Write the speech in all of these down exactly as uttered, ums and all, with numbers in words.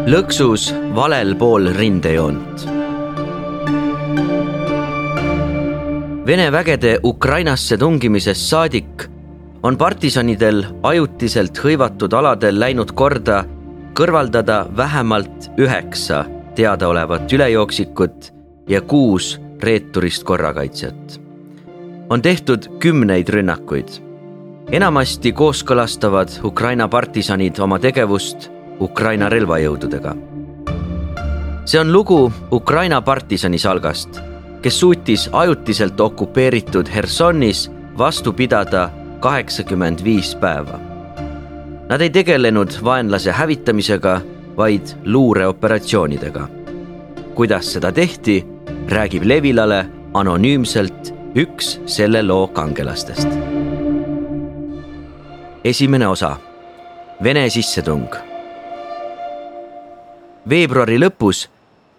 Lõksus valel pool rindejoont. Vene vägede Ukrainasse tungimisest saadik on partisanidel ajutiselt hõivatud aladel läinud korda kõrvaldada vähemalt üheksa teadaolevat ülejooksikut ja kuus reeturist korrakaitsjat. On tehtud kümneid rünnakuid. Enamasti kooskõlastavad Ukraina partisanid oma tegevust Ukraina relvajõududega. See on lugu Ukraina partisani salgast, kes suutis ajutiselt okupeeritud Hersonis vastu pidada kaheksakümmend viis päeva. Nad ei tegelenud vaenlase hävitamisega, vaid luureoperatsioonidega. Kuidas seda tehti, räägib Levilale anonüümselt üks selle loo kangelastest. Esimene osa. Vene sissetung. Veebruari lõpus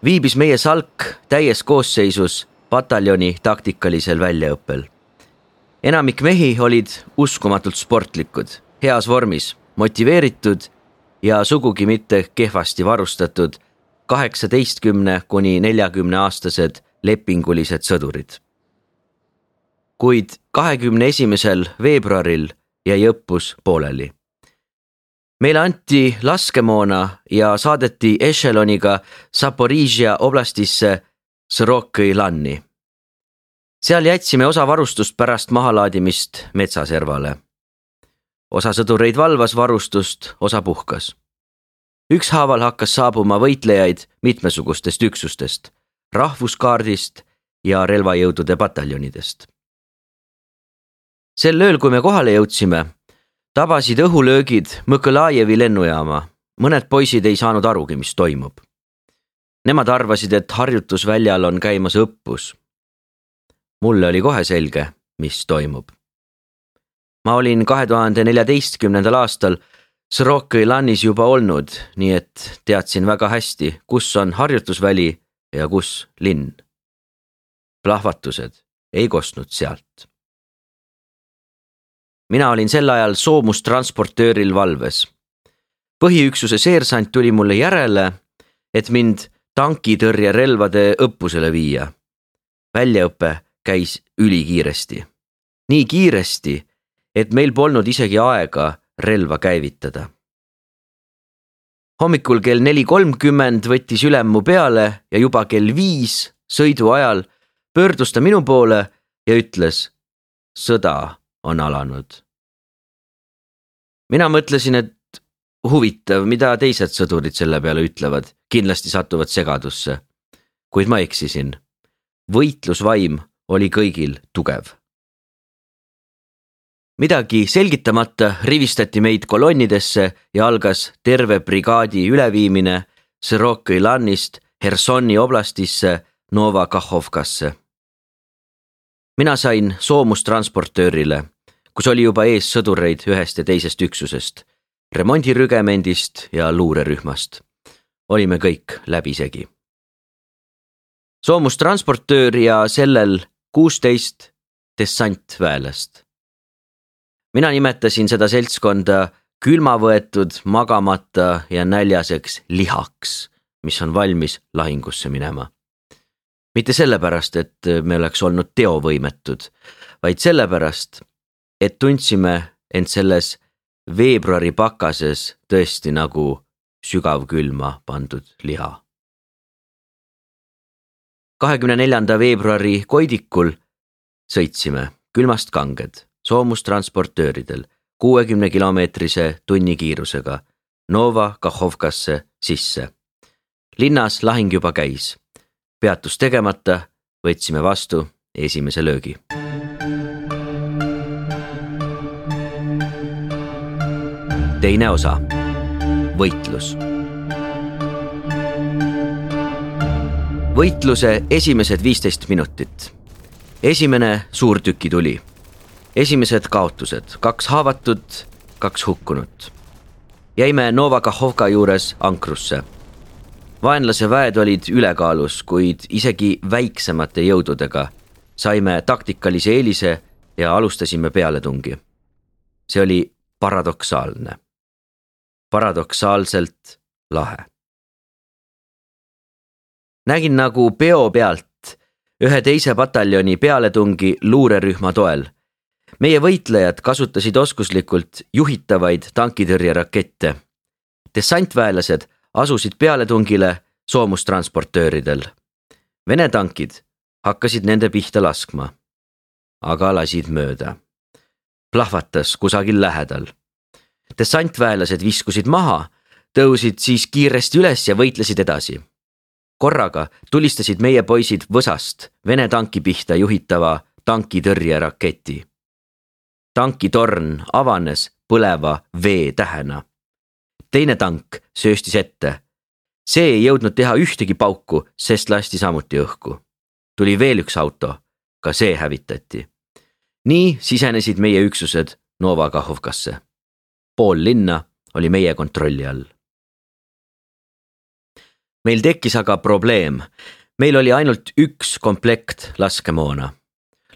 viibis meie salk täies koosseisus pataljoni taktikalisel väljaõppel. Enamik mehi olid uskumatult sportlikud, heas vormis, motiveeritud ja sugugi mitte kehvasti varustatud kaheksateistkümne kuni neljakümne aastased lepingulised sõdurid. Kuid kahekümne esimesel veebruaril jäi õppus pooleli. Meile anti laskemoona ja saadeti ešeloniga Zaporižja oblastisse Sõrokõi lanni. Seal jätsime osa varustust pärast mahalaadimist metsaservale. Osa sõdureid valvas varustust, osa puhkas. Ükshaaval hakkas saabuma võitlejaid mitmesugustest üksustest, rahvuskaardist ja relvajõudude pataljonidest. Sel ööl, kui me kohale jõudsime, tabasid õhulöögid Mõkõlajevi lennujaama. Mõned poisid ei saanud arugi, mis toimub. Nemad arvasid, et harjutusväljal on käimas õppus. Mulle oli kohe selge, mis toimub. Ma olin kahe tuhande neljateistkümnendal aastal Sõrokõi lannis juba olnud, nii et teadsin väga hästi, kus on harjutusväli ja kus linn. Plahvatused ei kostnud sealt. Mina olin sel ajal soomustransportööril valves. Põhiüksuse seersant tuli mulle järele, et mind tankitõrjerelvade õppusele viia. Väljaõpe käis ülikiiresti. Nii kiiresti, et meil polnud isegi aega relva käivitada. Hommikul kell neli kolmkümmend võttis ülem mu peale ja juba kell viis sõidu ajal pöördus ta minu poole ja ütles, sõda on alanud. Mina mõtlesin, et huvitav, mida teised sõdurid selle peale ütlevad, kindlasti satuvad segadusse. Kuid ma eksisin. Võitlusvaim oli kõigil tugev. Midagi selgitamata rivistati meid kolonnidesse ja algas terve brigaadi üleviimine Sõrokõi lannist Hersoni oblastisse Novakahhovkasse. Mina sain soomustransportöörile, kus oli juba ees sõdureid ühest ja teisest üksusest, remondirügemendist ja luurerühmast. Olime kõik läbisegi. Soomustransportöör ja sellel kuusteist dessantväelast. Mina nimetasin seda seltskonda külmavõetud, magamata ja näljaseks lihaks, mis on valmis lahingusse minema. Mitte sellepärast, et me oleks olnud teovõimetud, vaid sellepärast, et tundsime end selles veebruari pakases tõesti nagu sügavkülma pandud liha. kahekümne neljanda veebruari koidikul sõitsime külmast kanged soomustransportööridel kuuekümne kilomeetrise tunnikiirusega Novakahhovkasse sisse. Linnas lahing juba käis. Peatus tegemata võtsime vastu esimese löögi. Teine osa. Võitlus. Võitluse esimesed viisteist minutit. Esimene suurtüki tuli. Esimesed kaotused, kaks haavatut, kaks hukkunut. Jäime Novakahhovka juures ankrusse. Vaenlase väed olid ülekaalus, kuid isegi väiksemate jõududega saime taktikalise eelise ja alustasime pealetungi. See oli paradoksaalne. Paradoksaalselt lahe. Nägin nagu peo pealt ühe teise pataljoni pealetungi luurerühma toel. Meie võitlejad kasutasid oskuslikult juhitavaid tankitõrjerakette. Dessantväelased asusid pealetungile soomustransportööridel. Vene tankid hakkasid nende pihta laskma, aga lasid mööda. Plahvatas kusagil lähedal. Dessantväelased viskusid maha, tõusid siis kiiresti üles ja võitlesid edasi. Korraga tulistasid meie poisid võsast Vene tanki pihta juhitava tankitõrjeraketi. Tankitorn avanes põleva vee tähena. Teine tank sööstis ette. See ei jõudnud teha ühtegi pauku, sest lasti samuti õhku. Tuli veel üks auto, ka see hävitati. Nii sisenesid meie üksused Nova Kahovkasse. Pool linna oli meie kontrolli all. Meil tekkis aga probleem. Meil oli ainult üks komplekt laskemoona.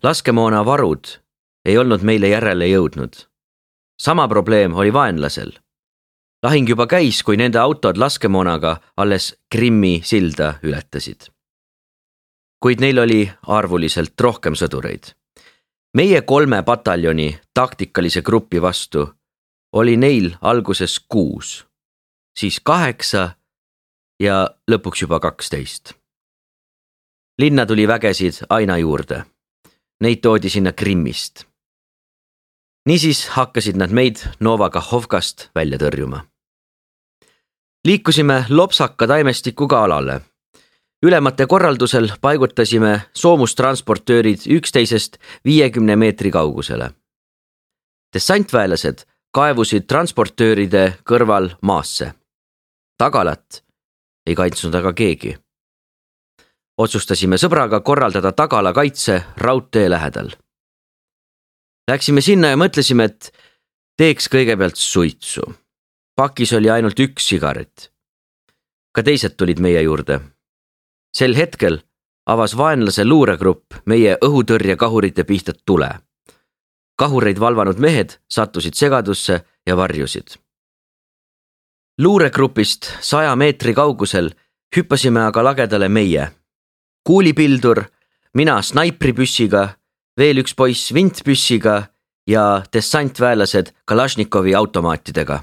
Laskemoona varud ei olnud meile järele jõudnud. Sama probleem oli vaenlasel. Lahing juba käis, kui nende autod laskemoonaga alles Krimmi silda ületasid. Kuid neil oli arvuliselt rohkem sõdureid. Meie kolme pataljoni taktikalise gruppi vastu oli neil alguses kuus, siis kaheksa ja lõpuks juba kaksteist. Linna tuli vägesid aina juurde. Neid toodi sinna Krimmist. Niisiis hakkasid nad meid Nova Kahovkast välja tõrjuma. Liikusime lopsaka taimestikuga alale. Ülemate korraldusel paigutasime soomustransportöörid üksteisest viiekümne meetri kaugusele. Dessantväelased kaevusid transportööride kõrval maasse. Tagalat ei kaitsnud aga keegi. Otsustasime sõbraga korraldada tagala kaitse raudtee lähedal. Läksime sinna ja mõtlesime, et teeks kõigepealt suitsu. Pakis oli ainult üks sigaret. Ka teised tulid meie juurde. Sel hetkel avas vaenlase luuregrupp meie õhutõrjekahurite pihta tule. Kahureid valvanud mehed sattusid segadusse ja varjusid. Luuregrupist saja meetri kaugusel hüppasime aga lagedale meie. Kuulipildur, mina snaipripüssiga, veel üks poiss vintpüssiga ja dessantväelased Kalašnikovi automaatidega.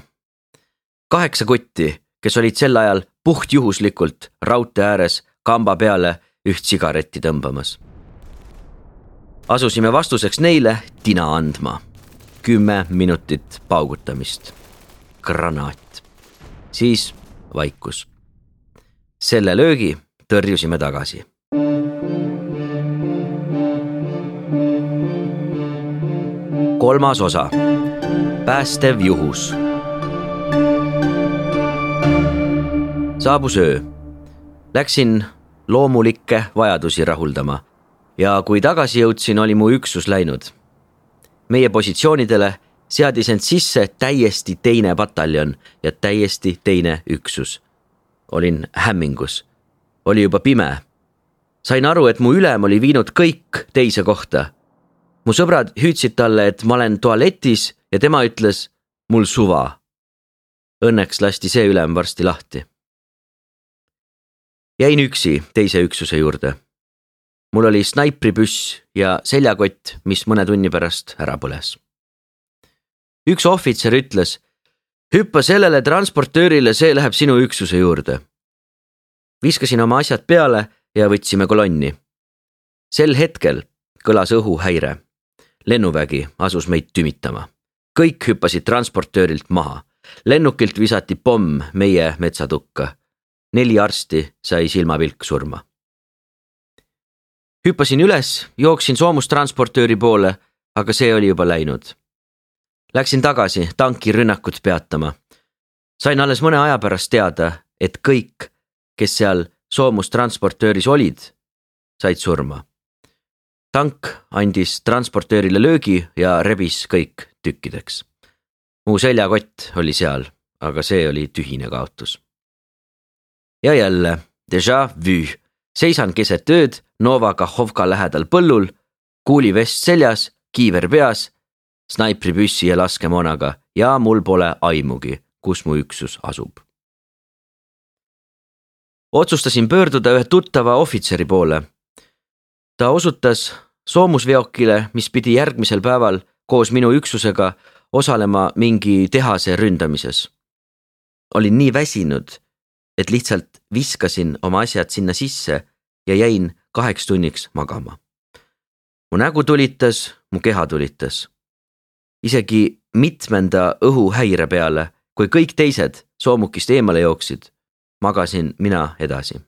Kaheksa kutti, kes olid sel ajal puhtjuhuslikult raudtee ääres kamba peale üht sigaretti tõmbamas. Asusime vastuseks neile tina andma. Kümme minutit paugutamist. Granaat. Siis vaikus. Selle löögi tõrjusime tagasi. Kolmas osa. Päästev juhus. Saabus öö. Läksin loomulikke vajadusi rahuldama ja kui tagasi jõudsin, oli mu üksus läinud. Meie positsioonidele seadis end sisse täiesti teine pataljon ja täiesti teine üksus. Olin hämmingus. Oli juba pime. Sain aru, et mu ülem oli viinud kõik teise kohta. Mu sõbrad hüüdsid talle, et ma olen tualetis ja tema ütles, mul suva. Õnneks lasti see ülem varsti lahti. Jäin üksi teise üksuse juurde. Mul oli snaipripüss ja seljakott, mis mõne tunni pärast ära põles. Üks ohvitser ütles, hüppa sellele transportöörile, see läheb sinu üksuse juurde. Viskasin oma asjad peale ja võtsime kolonni. Sel hetkel kõlas õhuhäire. Lennuvägi asus meid tümitama. Kõik hüppasid transportöörilt maha. Lennukilt visati pomm meie metsatukka. Neli arsti sai silmapilk surma. Hüppasin üles, jooksin soomustransportööri poole, aga see oli juba läinud. Läksin tagasi tanki rünnakut peatama. Sain alles mõne aja pärast teada, et kõik, kes seal soomustransportööris olid, said surma. Tank andis transportöörile löögi ja rebis kõik tükkideks. Mu seljakott oli seal, aga see oli tühine kaotus. Ja jälle, déjà vu, seisan keset ööd Nova Kahovka lähedal põllul, kuulivest seljas, kiiver peas, snaipripüssi ja laskemoonaga ja mul pole aimugi, kus mu üksus asub. otsustasin pöörduda ühe tuttava ohvitseri poole. Ta osutas soomusveokile, mis pidi järgmisel päeval koos minu üksusega osalema mingi tehase ründamises. Olin nii väsinud, et lihtsalt viskasin oma asjad sinna sisse ja jäin kaheks tunniks magama. Mu nägu tulitas, mu keha tulitas. Isegi mitmenda õhuhäire peale, kui kõik teised soomukist eemale jooksid, magasin mina edasi.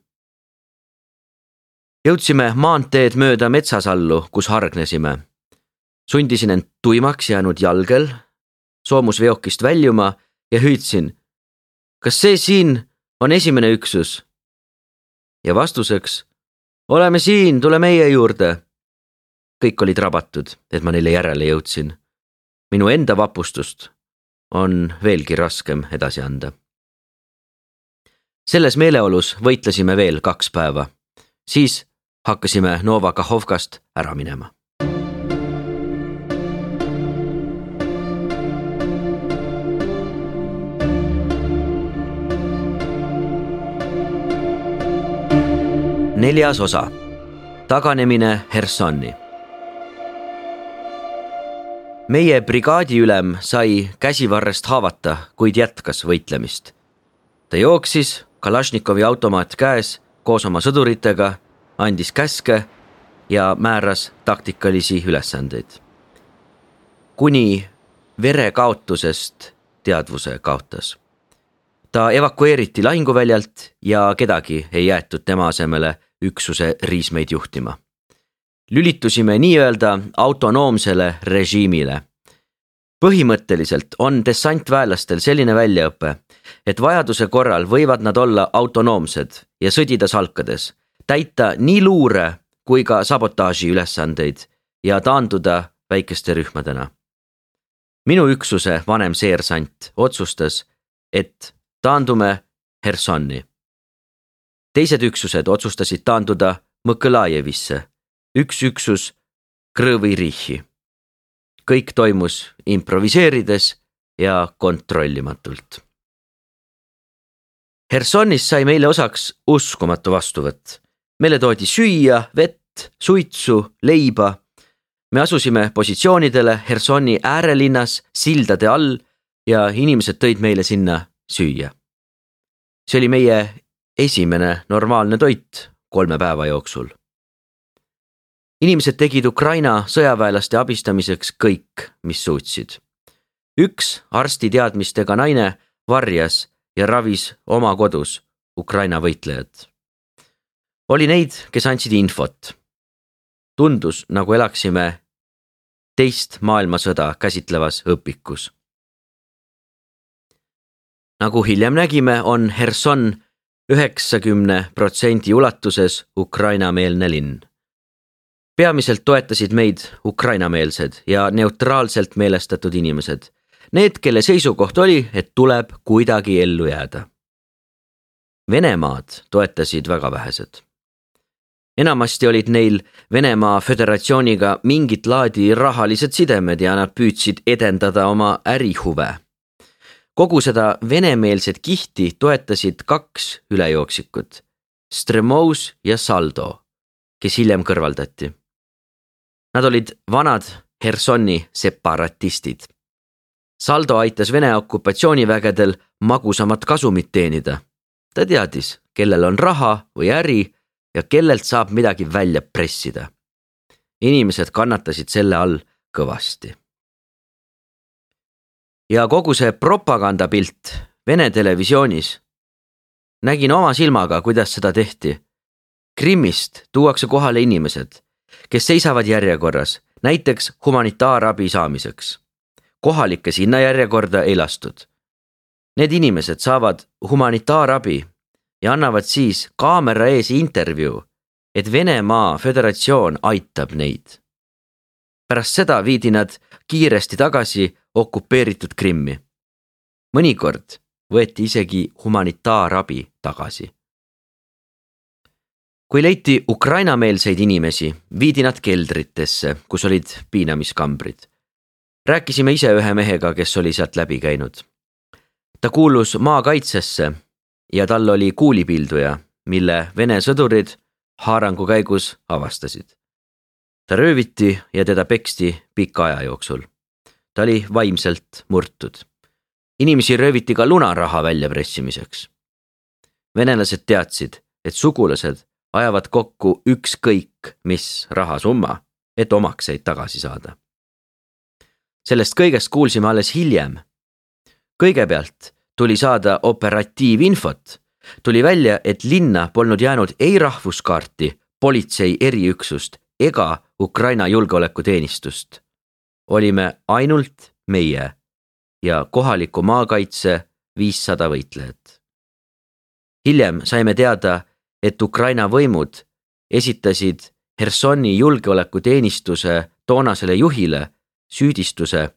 Jõudsime maanteed mööda metsasallu, kus hargnesime. Sundisin end tuimaks jäänud jalgel, soomusveokist väljuma ja hüüdsin, kas see siin on esimene üksus? Ja vastuseks, oleme siin, tule meie juurde. Kõik olid rabatud, et ma neile järele jõudsin. Minu enda vapustust on veelgi raskem edasi anda. Selles meeleolus võitlesime veel kaks päeva. Siis hakkasime Nova Kahovkast ära minema. Neljas osa. Taganemine Hersonni. Meie brigaadiülem sai käsivarrest haavata, kuid jätkas võitlemist. Ta jooksis, Kalašnikovi automaat käes, koos oma sõduritega, andis käske ja määras taktikalisi ülesandeid. Kuni verekaotusest teadvuse kaotas. Ta evakueeriti lahinguväljalt ja kedagi ei jäetud tema asemele üksuse riismeid juhtima. Lülitusime nii-öelda autonoomsele režiimile. Põhimõtteliselt on dessantväelastel selline väljaõpe, et vajaduse korral võivad nad olla autonoomsed ja sõdida salkades, täita nii luure kui ka sabotaaži ülesandeid ja taanduda väikeste rühmadena. Minu üksuse vanem seersant otsustas, et taandume Hersonni. Teised üksused otsustasid taanduda Mõkõlajevisse, üks üksus Krõvi Rihi. Kõik toimus improviseerides ja kontrollimatult. Hersonnis sai meile osaks uskumatu vastuvõtt. Meile toodi süüa, vett, suitsu, leiba. Me asusime positsioonidele Hersonni äärelinnas sildade all ja inimesed tõid meile sinna süüa. See oli meie esimene normaalne toit kolme päeva jooksul. Inimesed tegid Ukraina sõjaväelaste abistamiseks kõik, mis suutsid. Üks arsti teadmistega naine varjas ja ravis oma kodus Ukraina võitlejad. Oli neid, kes andsid infot. Tundus, nagu elaksime teist maailmasõda käsitlevas õpikus. Nagu hiljem nägime, on Herson üheksakümne protsendi ulatuses Ukraina-meelne linn. Peamiselt toetasid meid ukrainameelsed ja neutraalselt meelestatud inimesed. Need, kelle seisukoht oli, et tuleb kuidagi ellu jääda. Venemaad toetasid väga vähesed. Enamasti olid neil Venemaa Föderatsiooniga mingit laadi rahalised sidemed ja nad püüdsid edendada oma ärihuve. Kogu seda venemeelset kihti toetasid kaks ülejooksikud, Stremous ja Saldo, kes hiljem kõrvaldati. Nad olid vanad Hersonni separatistid. Saldo aitas Vene okupatsioonivägedel magusamat kasumit teenida. Ta teadis, kellel on raha või äri ja kellelt saab midagi välja pressida. Inimesed kannatasid selle all kõvasti. Ja kogu see propagandapilt Vene televisioonis. Nägin oma silmaga, kuidas seda tehti. Krimmist tuuakse kohale inimesed, kes seisavad järjekorras, näiteks humanitaarabi saamiseks. Kohalikke sinna järjekorda ei lastud. Need inimesed saavad humanitaarabi ja annavad siis kaamera ees intervjuu, et Venemaa Föderatsioon aitab neid. Pärast seda viidi nad kiiresti tagasi okupeeritud Krimmi. Mõnikord võeti isegi humanitaarabi tagasi. Kui leiti ukrainameelseid inimesi, viidi nad keldritesse, kus olid piinamiskambrid. Rääkisime ise ühe mehega, kes oli sealt läbi käinud. Ta kuulus maakaitsesse ja tal oli kuulipilduja, mille Vene sõdurid haarangu käigus avastasid. Ta rööviti ja teda peksti pika aja jooksul. Ta oli vaimselt murtud. Inimesi rööviti ka lunaraha väljapressimiseks. Venelased teadsid, et sugulased ajavad kokku ükskõik mis rahasumma, et omakseid tagasi saada. Sellest kõigest kuulsime alles hiljem. Kõigepealt tuli saada operatiivinfot. Tuli välja, et linna polnud jäänud ei rahvuskaarti, politsei eriüksust ega Ukraina julgeolekuteenistust. Olime ainult meie ja kohaliku maakaitse viissada võitlejat. Hiljem saime teada, et Ukraina võimud esitasid Hersoni julgeolekuteenistuse toonasele juhile süüdistuse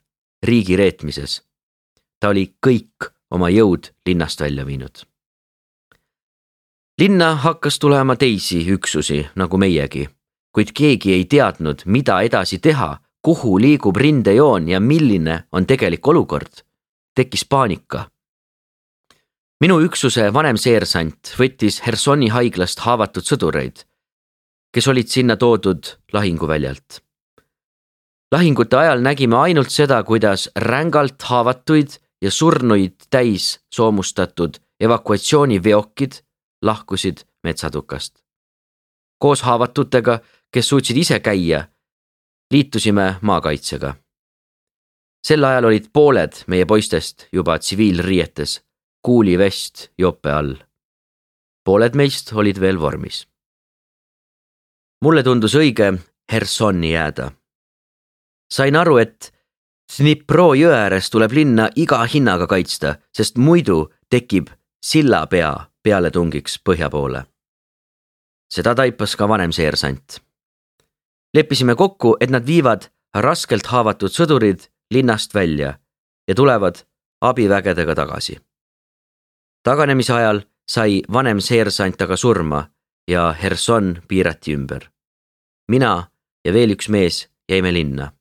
riigi reetmises. Ta oli kõik oma jõud linnast välja viinud. Linna hakkas tulema teisi üksusi nagu meiegi, kuid keegi ei teadnud, mida edasi teha, kuhu liigub rindejoon ja milline on tegelik olukord. Tekkis paanika. Minu üksuse vanem seersant võttis Hersoni haiglast haavatud sõdureid, kes olid sinna toodud lahinguväljalt. Lahingute ajal nägime ainult seda, kuidas rängalt haavatuid ja surnuid täis soomustatud evakuatsiooniveokid lahkusid metsatukast. Koos haavatutega, kes suutsid ise käia, liitusime maakaitsega. Sel ajal olid pooled meie poistest juba tsiviilriietes, kuulivest jope all. Pooled meist olid veel vormis. Mulle tundus õige Hersoni jääda. Sain aru, et Dnipro jõe ääres tuleb linna iga hinnaga kaitsta, sest muidu tekib sillapea pealetungiks põhja poole. Seda taipas ka vanem seersant. Leppisime kokku, et nad viivad raskelt haavatud sõdurid linnast välja ja tulevad abivägedega tagasi. Taganemise ajal sai vanem seersant aga surma ja Herson piirati ümber. Mina ja veel üks mees jäime linna.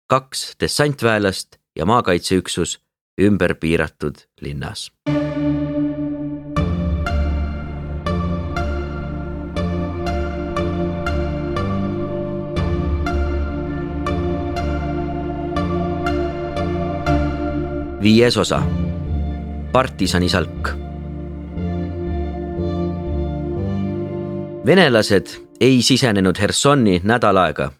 Kaks dessantväelast ja maakaitseüksus ümber piiratud linnas. Viies osa. Partisanisalk. Venelased ei sisenenud Hersoni nädal aega.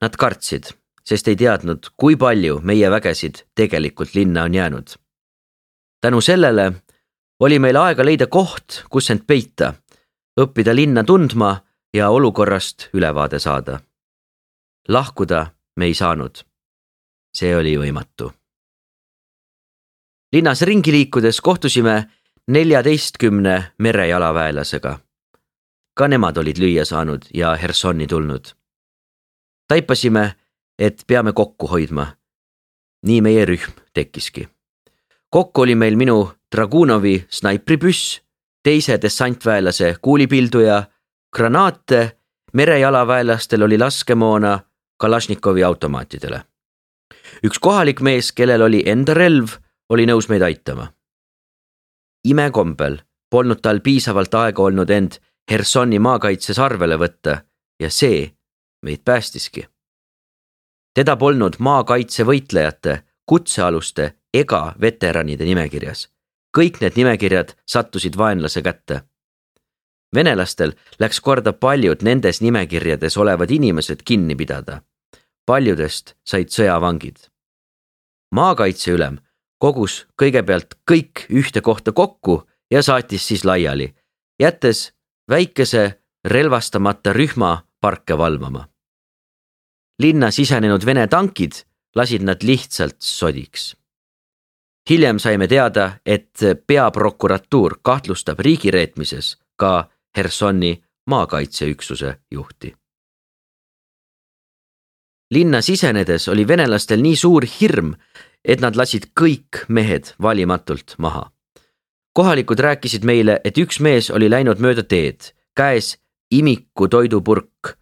Nad kartsid, sest ei teadnud, kui palju meie vägesid tegelikult linna on jäänud. Tänu sellele oli meil aega leida koht, kus end peita, õppida linna tundma ja olukorrast ülevaade saada. Lahkuda me ei saanud. See oli võimatu. Linnas ringi liikudes kohtusime neljateistkümne merejalaväelasega. Ka nemad olid lüüa saanud ja Hersoni tulnud. Taipasime, et peame kokku hoidma. Nii meie rühm tekkiski. Kokku oli meil minu Dragunovi snaipripüss, teise dessantväelase kuulipilduja, granaate, merejalaväelastel oli laskemoona Kalašnikovi automaatidele. Üks kohalik mees, kellel oli enda relv, oli nõus meid aitama. Imekombel polnud tal piisavalt aega olnud end Hersoni maakaitses arvele võtta ja see meid päästiski. Teda polnud maakaitse võitlejate, kutsealuste ega veteranide nimekirjas. Kõik need nimekirjad sattusid vaenlase kätte. Venelastel läks korda paljud nendes nimekirjades olevad inimesed kinni pidada. Paljudest said sõjavangid. Maakaitseülem kogus kõigepealt kõik ühte kohta kokku ja saatis siis laiali, jättes väikese relvastamata rühma parke valvama. Linna sisenenud Vene tankid lasid nad lihtsalt sodiks. Hiljem saime teada, et peaprokuratuur kahtlustab riigireetmises ka Hersoni maakaitseüksuse juhti. Linna sisenedes oli venelastel nii suur hirm, et nad lasid kõik mehed valimatult maha. Kohalikud rääkisid meile, et üks mees oli läinud mööda teed, käes imiku toidupurk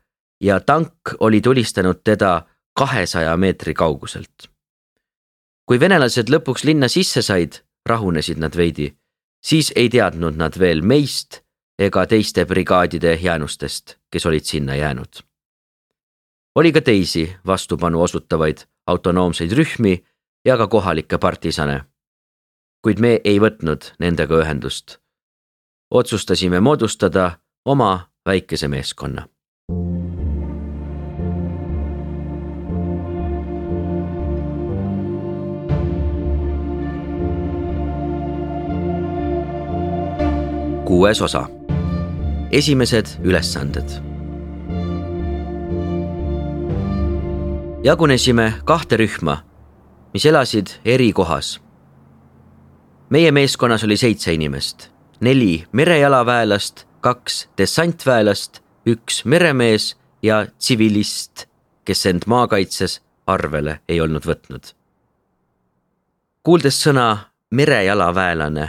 ja tank oli tulistanud teda kahesaja meetri kauguselt. Kui venelased lõpuks linna sisse said, rahunesid nad veidi, siis ei teadnud nad veel meist, ega teiste brigaadide jäänustest, kes olid sinna jäänud. Oli ka teisi vastupanu osutavaid autonoomseid rühmi ja ka kohalikke partisane, kuid me ei võtnud nendega ühendust. Otsustasime moodustada oma väikese meeskonna. Kuues osa. Esimesed ülesanded. Jagunesime kahte rühma, mis elasid eri kohas. Meie meeskonnas oli seitse inimest, neli merejalaväelast, kaks dessantväelast, üks meremees ja tsivilist, kes end maakaitses arvele ei olnud võtnud. Kuuldes sõna merejalaväelane,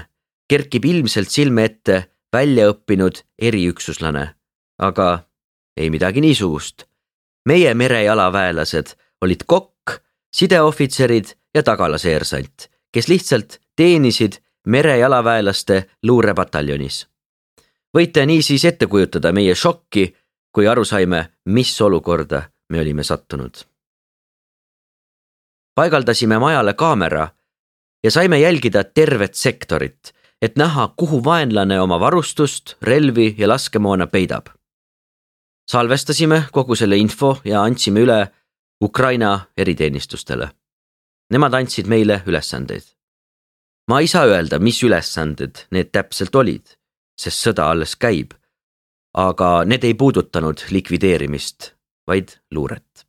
kerkib ilmselt silme ette väljaõppinud eriüksuslane, aga ei midagi niisugust. Meie merejalaväelased olid kokk, sideohvitserid ja tagalaseersant, kes lihtsalt teenisid merejalaväelaste luurepataljonis. Võite niisiis ette kujutada meie šokki, kui aru saime, mis olukorda me olime sattunud. Paigaldasime majale kaamera ja saime jälgida tervet sektorit, et näha, kuhu vaenlane oma varustust, relvi ja laskemoona peidab. Salvestasime kogu selle info ja andsime üle Ukraina eriteenistustele. Nemad andsid meile ülesandeid. Ma ei saa öelda, mis ülesanded need täpselt olid, sest sõda alles käib, aga need ei puudutanud likvideerimist, vaid luuret.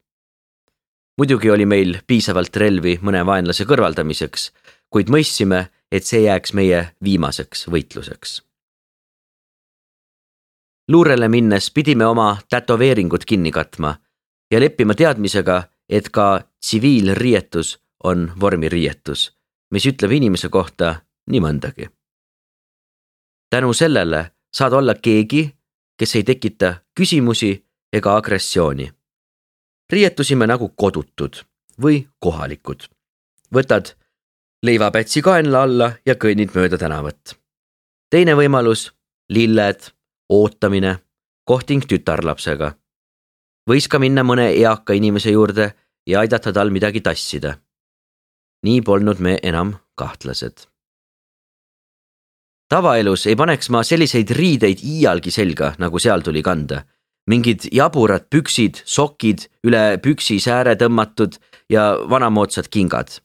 Muidugi oli meil piisavalt relvi mõne vaenlase kõrvaldamiseks, kuid mõistsime, et see jääks meie viimaseks võitluseks. Luurele minnes pidime oma tätoveeringud kinni katma ja leppima teadmisega, et ka tsiviilriietus on vormiriietus, mis ütleb inimese kohta nii mõndagi. Tänu sellele saad olla keegi, kes ei tekita küsimusi ega agressiooni. Riietusime nagu kodutud või kohalikud. Võtad leivapätsi kaenla alla ja kõnnid mööda tänavat. Teine võimalus, lilled, ootamine, kohting tütarlapsega. Võis ka minna mõne eaka inimese juurde ja aidata tal midagi tassida. Nii polnud me enam kahtlased. Tavaelus ei paneks ma selliseid riideid iialgi selga, nagu seal tuli kanda. Mingid jaburad püksid, sokid, üle püksi sääre tõmmatud ja vanamoodsad kingad.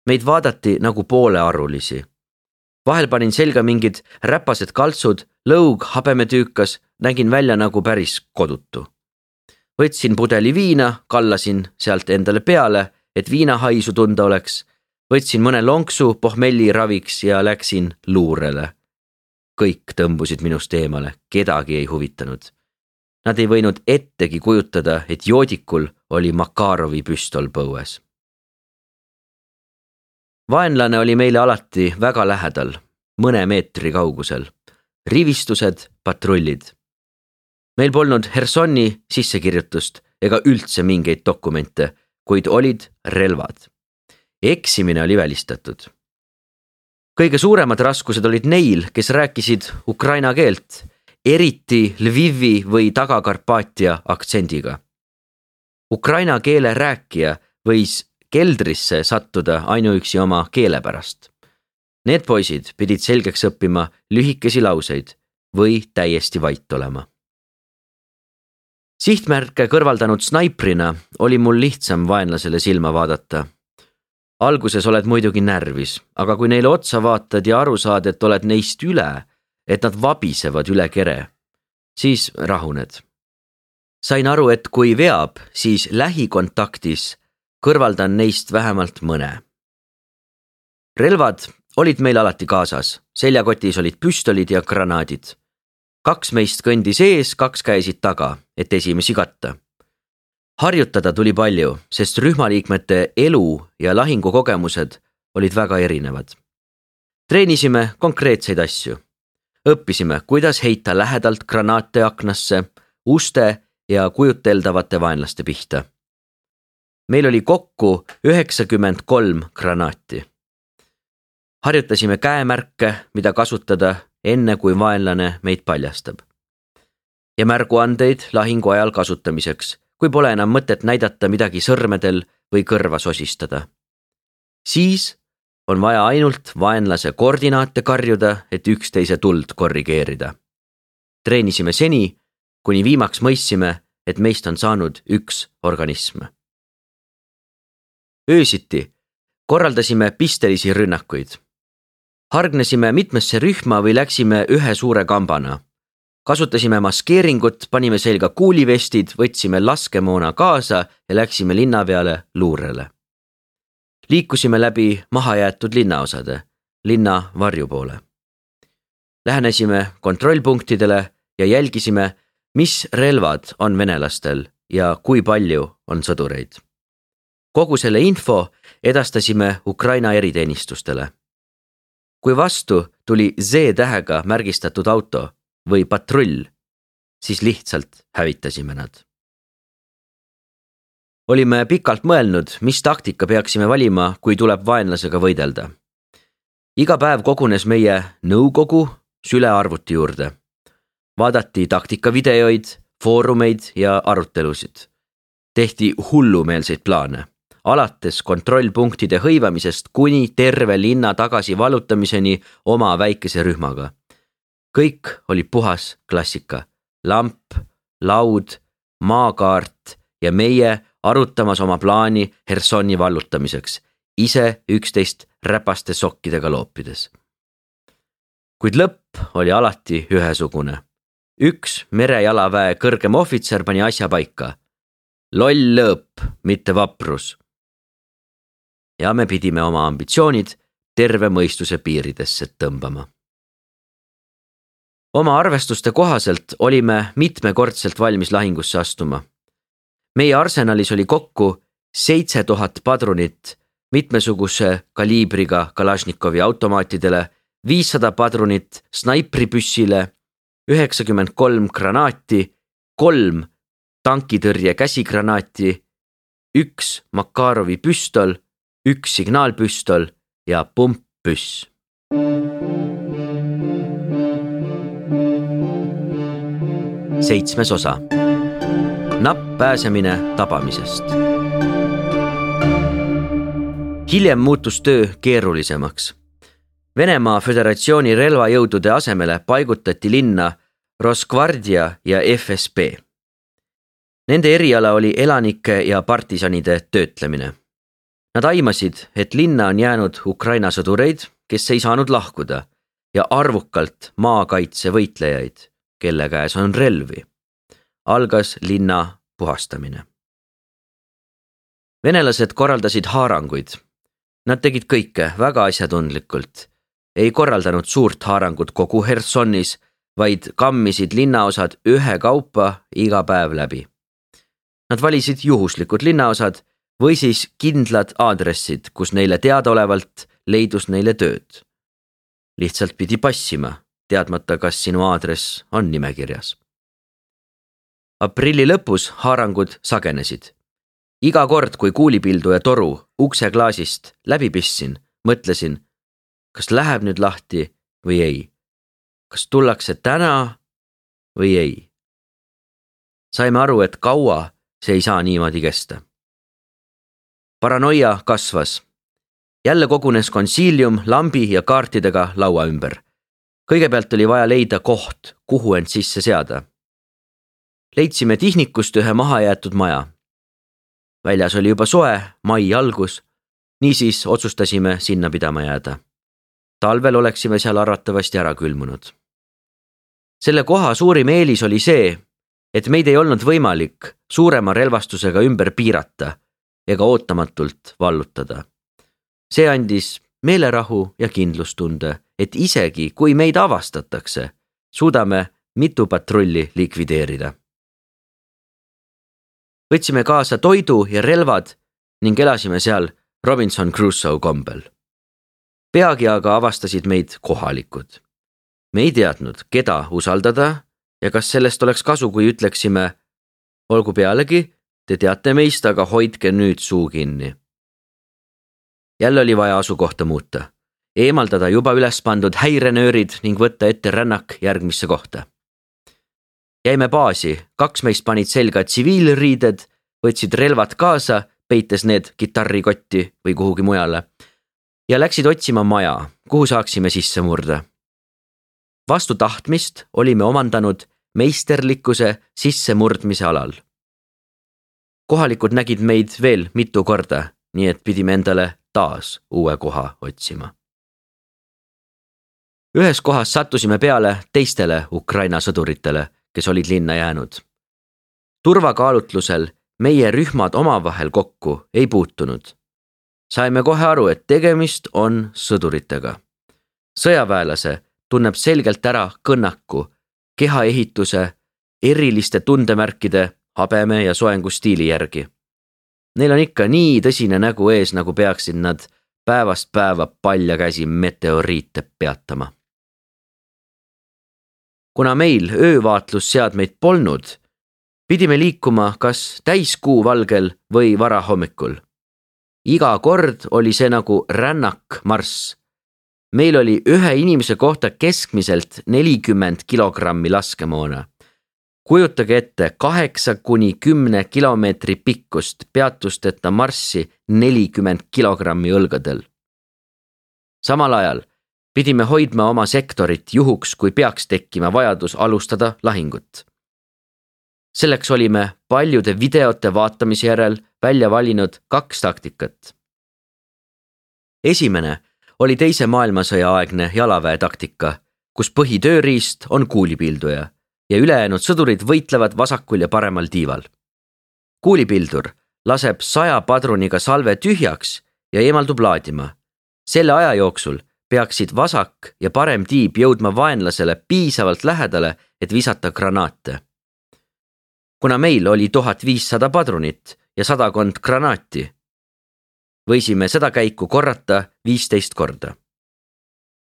Meid vaadati nagu poolearulisi. Vahel panin selga mingid räpased kaltsud, lõug, habemetüükas, nägin välja nagu päris kodutu. Võtsin pudeli viina, kallasin sealt endale peale, et viinahaisu tunda oleks. Võtsin mõne lonksu pohmelli raviks ja läksin luurele. Kõik tõmbusid minust eemale, kedagi ei huvitanud. Nad ei võinud ettegi kujutada, et joodikul oli Makarovi püstol põues. Vaenlane oli meile alati väga lähedal, mõne meetri kaugusel. Rivistused, patrullid. Meil polnud Hersoni sissekirjutust ega üldse mingeid dokumente, kuid olid relvad. Eksimine oli välistatud. Kõige suuremad raskused olid neil, kes rääkisid ukraina keelt, eriti Lvivi või Taga-Karpaatia aktsendiga. Ukraina keele rääkija võis keldrisse sattuda ainuüksi oma keele pärast. Need poisid pidid selgeks õppima lühikesi lauseid või täiesti vait olema. Sihtmärke kõrvaldanud snaiprina oli mul lihtsam vaenlasele silma vaadata. Alguses oled muidugi närvis, aga kui neile otsa vaatad ja aru saad, et oled neist üle, et nad vabisevad üle kere, siis rahuned. Sain aru, et kui veab, siis lähikontaktis kõrvaldan neist vähemalt mõne. Relvad olid meil alati kaasas, seljakotis olid püstolid ja granaadid. Kaks meist kõndis ees, kaks käisid taga, et esimesi katta. Harjutada tuli palju, sest rühmaliikmete elu ja lahingukogemused olid väga erinevad. Treenisime konkreetseid asju. Õppisime, kuidas heita lähedalt granaate aknasse, uste ja kujuteldavate vaenlaste pihta. Meil oli kokku üheksakümmend kolm granaati. Harjutasime käemärke, mida kasutada enne kui vaenlane meid paljastab. Ja märguandeid lahingu ajal kasutamiseks, kui pole enam mõtet näidata midagi sõrmedel või kõrva sosistada. Siis on vaja ainult vaenlase koordinaate karjuda, et üksteise tuld korrigeerida. Treenisime seni, kuni viimaks mõistsime, et meist on saanud üks organism. Öösiti korraldasime pistelisi rünnakuid. Hargnesime mitmesse rühma või läksime ühe suure kambana. Kasutasime maskeeringut, panime selga kuulivestid, võtsime laskemoona kaasa ja läksime linna peale luurele. Liikusime läbi mahajäetud linnaosade, linna varju poole. Lähenesime kontrollpunktidele ja jälgisime, mis relvad on venelastel ja kui palju on sõdureid. Kogu selle info edastasime Ukraina eriteenistustele. Kui vastu tuli Z-tähega märgistatud auto või patrull, siis lihtsalt hävitasime nad. Olime pikalt mõelnud, mis taktika peaksime valima, kui tuleb vaenlasega võidelda. Iga päev kogunes meie nõukogu sülearvuti juurde. Vaadati taktikavideoid, foorumeid ja arutelusid. Tehti hullumeelseid plaane, alates kontrollpunktide hõivamisest kuni terve linna tagasi vallutamiseni oma väikese rühmaga. Kõik oli puhas klassika. Lamp, laud, maakaart ja meie arutamas oma plaani Hersoni vallutamiseks, ise üksteist räpaste sokkidega loopides. Kuid lõpp oli alati ühesugune. Üks merejalaväe kõrgem ohvitser pani asja paika. Loll lõõp, mitte vaprus. Ja me pidime oma ambitsioonid terve mõistuse piiridesse tõmbama. Oma arvestuste kohaselt olime mitmekordselt valmis lahingusse astuma. Meie arsenalis oli kokku seitse tuhat padrunit mitmesuguse kaliibriga Kalašnikovi automaatidele, viissada padrunit snaipripüssile, üheksakümmend kolm granaati, kolm tankitõrje käsigranaati, üks Makarovi püstol, üks signaalpüstol ja pumppüss. Seitsmes osa. Napp pääsemine tabamisest. Hiljem muutus töö keerulisemaks. Venemaa Föderatsiooni relvajõudude asemele paigutati linna Rosgvardia ja F S B. Nende eriala oli elanike ja partisanide töötlemine. Nad aimasid, et linna on jäänud Ukraina sõdureid, kes ei saanud lahkuda, ja arvukalt maakaitse võitlejaid, kelle käes on relvi. Algas linna puhastamine. Venelased korraldasid haaranguid. Nad tegid kõike väga asjatundlikult. Ei korraldanud suurt haarangut kogu Hersonis, vaid kammisid linnaosad ühe kaupa iga päev läbi. Nad valisid juhuslikud linnaosad või siis kindlad aadressid, kus neile teadaolevalt leidus neile tööd. Lihtsalt pidi passima, teadmata, kas sinu aadress on nimekirjas. Aprilli lõpus haarangud sagenesid. Iga kord, kui kuulipildu ja toru ukse klaasist läbi pissin, mõtlesin, kas läheb nüüd lahti või ei. Kas tullakse täna või ei. Saime aru, et kaua see ei saa niimoodi kesta. Paranoia kasvas. Jälle kogunes konsiilium lambi ja kaartidega laua ümber. Kõigepealt oli vaja leida koht, kuhu end sisse seada. Leidsime Tihnikust ühe mahajäetud maja. Väljas oli juba soe, mai algus, niisiis otsustasime sinna pidama jääda. Talvel oleksime seal arvatavasti ära külmunud. Selle koha suurim eelis oli see, et meid ei olnud võimalik suurema relvastusega ümber piirata ega ootamatult vallutada. See andis meelerahu ja kindlustunde, et isegi kui meid avastatakse, suudame mitu patrulli likvideerida. Võtsime kaasa toidu ja relvad ning elasime seal Robinson Crusoe kombel. Peagi aga avastasid meid kohalikud. Me ei teadnud, keda usaldada ja kas sellest oleks kasu, kui ütleksime, olgu pealegi, te teate meist, aga hoidke nüüd suu kinni. Jälle oli vaja asukohta muuta. eemaldada juba üles pandud häirenöörid ning võtta ette rännak järgmisse kohta. Jäime baasi, kaks meist panid selga tsiviilriided, võtsid relvad kaasa, peites need kitarrikotti või kuhugi mujale ja läksid otsima maja, kuhu saaksime sisse murda. Vastu tahtmist olime omandanud meisterlikkuse sissemurdmise alal. Kohalikud nägid meid veel mitu korda, nii et pidime endale taas uue koha otsima. Ühes kohas sattusime peale teistele Ukraina sõduritele, kes olid linna jäänud. Turvakaalutlusel meie rühmad omavahel kokku ei puutunud. Saime kohe aru, et tegemist on sõduritega. Sõjaväelase tunneb selgelt ära kõnnaku, kehaehituse, eriliste tundemärkide, habeme ja soengustiili järgi. Neil on ikka nii tõsine nägu ees, nagu peaksid nad päevast päeva palja käsi meteoriite peatama. Kuna meil öövaatlusseadmeid polnud, pidime liikuma kas täiskuu valgel või varahommikul. Iga kord oli see nagu rännak marss. Meil oli ühe inimese kohta keskmiselt nelikümmend kilogrammi laskemoona. Kujutage ette kaheksa kuni kümne kilomeetri pikkust peatusteta marssi nelikümmend kilogrammi õlgadel. Samal ajal pidime hoidma oma sektorit juhuks, kui peaks tekkima vajadus alustada lahingut. Selleks olime paljude videote vaatamise järel välja valinud kaks taktikat. Esimene oli teise maailmasõja aegne jalaväe taktika, kus põhitööriist on kuulipilduja ja ülejäänud sõdurid võitlevad vasakul ja paremal tiival. Kuulipildur laseb saja padruniga salve tühjaks ja eemaldub laadima. Selle aja jooksul peaksid vasak ja parem tiib jõudma vaenlasele piisavalt lähedale, et visata granaate. Kuna meil oli tuhat viissada padrunit ja sadakond granaati, võisime seda käiku korrata viisteist korda.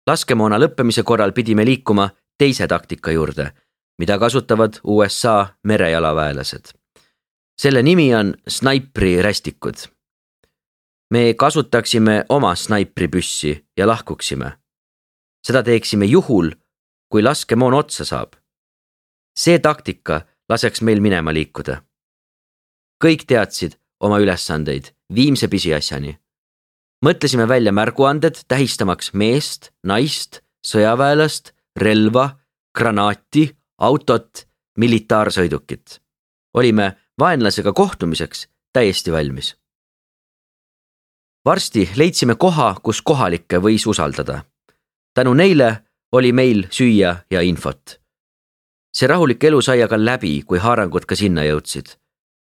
Laskemoona lõppemise korral pidime liikuma teise taktika juurde, mida kasutavad U S A merejalaväelased. Selle nimi on snaipri rästikud. Me kasutaksime oma snaipripüssi ja lahkuksime. Seda teeksime juhul, kui laskemoon otsa saab. See taktika laseks meil minema liikuda. Kõik teadsid oma ülesandeid viimse pisiasjani. Mõtlesime välja märguanded tähistamaks meest, naist, sõjaväelast, relva, granaati, autot, militaarsõidukit. Olime vaenlasega kohtumiseks täiesti valmis. Varsti leidsime koha, kus kohalikke võis usaldada. Tänu neile oli meil süüa ja infot. See rahulik elu sai aga läbi, kui haarangud ka sinna jõudsid.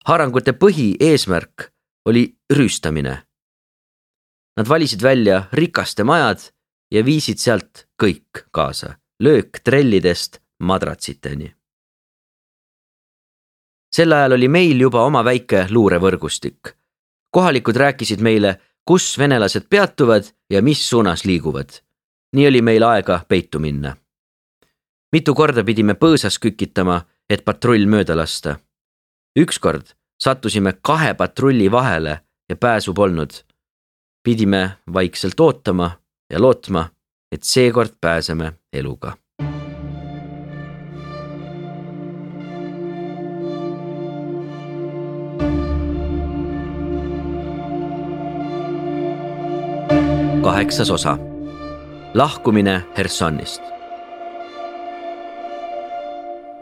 Haarangute põhi eesmärk oli rüüstamine. Nad valisid välja rikaste majad ja viisid sealt kõik kaasa, löök trellidest madratsiteni. Sel ajal oli meil juba oma väike luurevõrgustik. Kohalikud rääkisid meile, kus venelased peatuvad ja mis suunas liiguvad. Nii oli meil aega peitu minna. Mitu korda pidime põõsas kükitama, et patrull mööda lasta. Ükskord sattusime kahe patrulli vahele ja pääsu polnud. Pidime vaikselt ootama ja lootma, et seekord pääseme eluga. Kaheksas osa. Lahkumine Hersonist.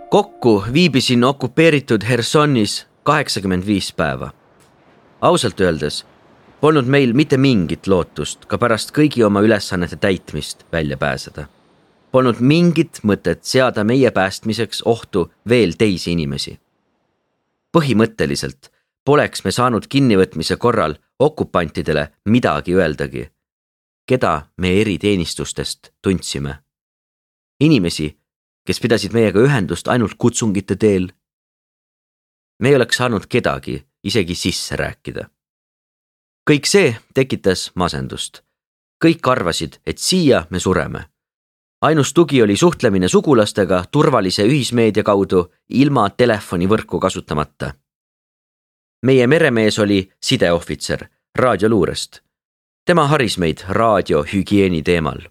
Kokku viibisin okupeeritud Hersonis kaheksakümmend viis päeva. Ausalt öeldes polnud meil mitte mingit lootust ka pärast kõigi oma ülesannete täitmist välja pääseda. Polnud mingit mõtet seada meie päästmiseks ohtu veel teisi inimesi. Põhimõtteliselt poleks me saanud kinnivõtmise korral okupantidele midagi öeldagi, keda me eriteenistustest tundsime. Inimesi, kes pidasid meiega ühendust ainult kutsungite teel. Me ei oleks saanud kedagi isegi sisse rääkida. Kõik see tekitas masendust. Kõik arvasid, et siia me sureme. Ainus tugi oli suhtlemine sugulastega turvalise ühismeedia kaudu ilma telefonivõrku kasutamata. Meie meremees oli sideohvitser raadioluurest. tema haris meid raadiohügieeni teemal.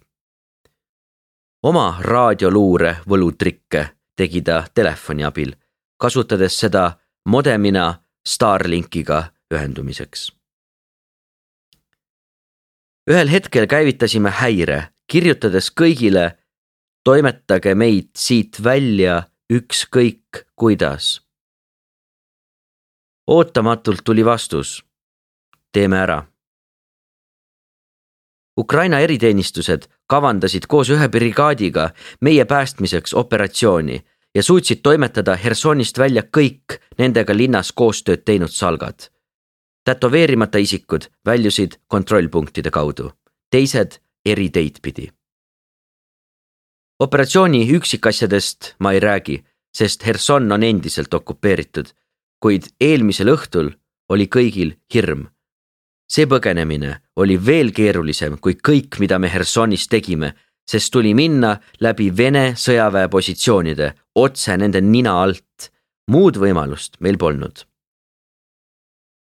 Oma raadioluure võlutrikke tegi ta telefoni abil, kasutades seda modemina Starlinkiga ühendumiseks. Ühel hetkel käivitasime häire, kirjutades kõigile, toimetage meid siit välja ükskõik kuidas. Ootamatult tuli vastus. Teeme ära. Ukraina eriteenistused kavandasid koos ühe brigaadiga meie päästmiseks operatsiooni ja suutsid toimetada Hersonist välja kõik nendega linnas koostööd teinud salgad. Tätoveerimata isikud väljusid kontrollpunktide kaudu, teised eri teid pidi. Operatsiooni üksikasjadest ma ei räägi, sest Herson on endiselt okupeeritud, kuid eelmisel õhtul oli kõigil hirm. See põgenemine oli veel keerulisem kui kõik, mida me Hersonis tegime, sest tuli minna läbi Vene sõjaväe positsioonide, otse nende nina alt. Muud võimalust meil polnud.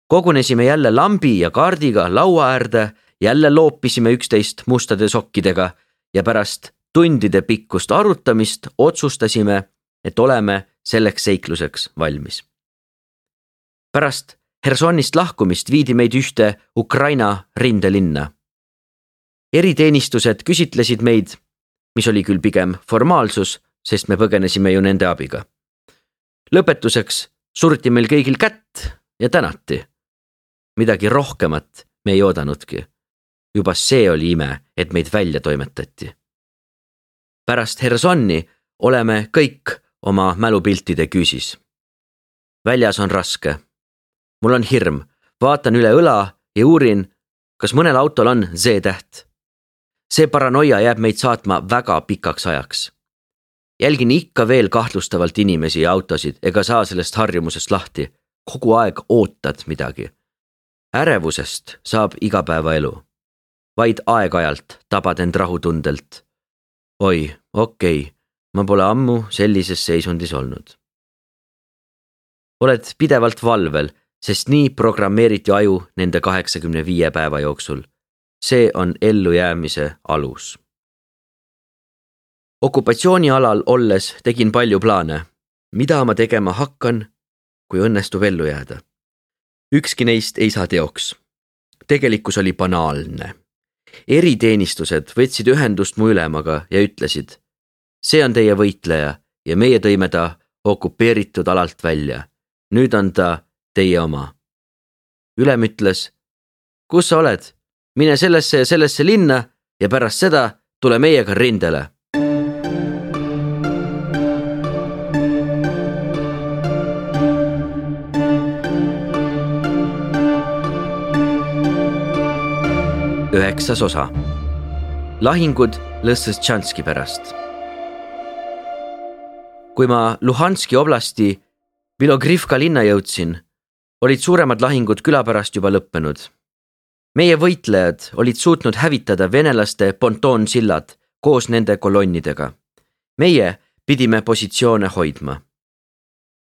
Kogunesime jälle lambi ja kaardiga laua äärde, jälle loopisime üksteist mustade sokkidega ja pärast tundide pikkust arutamist otsustasime, et oleme selleks seikluseks valmis. Pärast Hersonist lahkumist viidi meid ühte Ukraina rindelinna. Eriteenistused küsitlesid meid, mis oli küll pigem formaalsus, sest me põgenesime ju nende abiga. Lõpetuseks surti meil kõigil kätt ja tänati. Midagi rohkemat me ei oodanudki. Juba see oli ime, et meid välja toimetati. Pärast Hersonni oleme kõik oma mälupiltide küüsis. Väljas on raske. Mul on hirm, vaatan üle õla ja uurin, kas mõnel autol on Z-täht. See paranoia jääb meid saatma väga pikaks ajaks. Jälgin ikka veel kahtlustavalt inimesi ja autosid ega saa sellest harjumusest lahti. Kogu aeg ootad midagi. Ärevusest saab igapäevaelu. Vaid aeg-ajalt tabad end rahutundelt. Oi, okei, ma pole ammu sellises seisundis olnud. Oled pidevalt valvel, sest nii programmeeriti aju nende kaheksakümne viie päeva jooksul. See on ellujäämise alus. Okupatsioonialal olles tegin palju plaane. Mida ma tegema hakkan, kui õnnestub ellu jääda? Ükski neist ei saa teoks. Tegelikkus oli banaalne. Eriteenistused võtsid ühendust mu ülemaga ja ütlesid, see on teie võitleja ja meie tõime ta okupeeritud alalt välja. Nüüd on ta teie oma. Ülem ütles, kus sa oled? Mine sellesse ja sellesse linna ja pärast seda tule meiega rindele. Üheksas osa. Lahingud Lõssetšanski pärast. Kui ma Luhanski oblasti Bilogrivka linna jõudsin, olid suuremad lahingud küla pärast juba lõppenud. Meie võitlejad olid suutnud hävitada venelaste pontoonsillad koos nende kolonnidega. Meie pidime positsioone hoidma.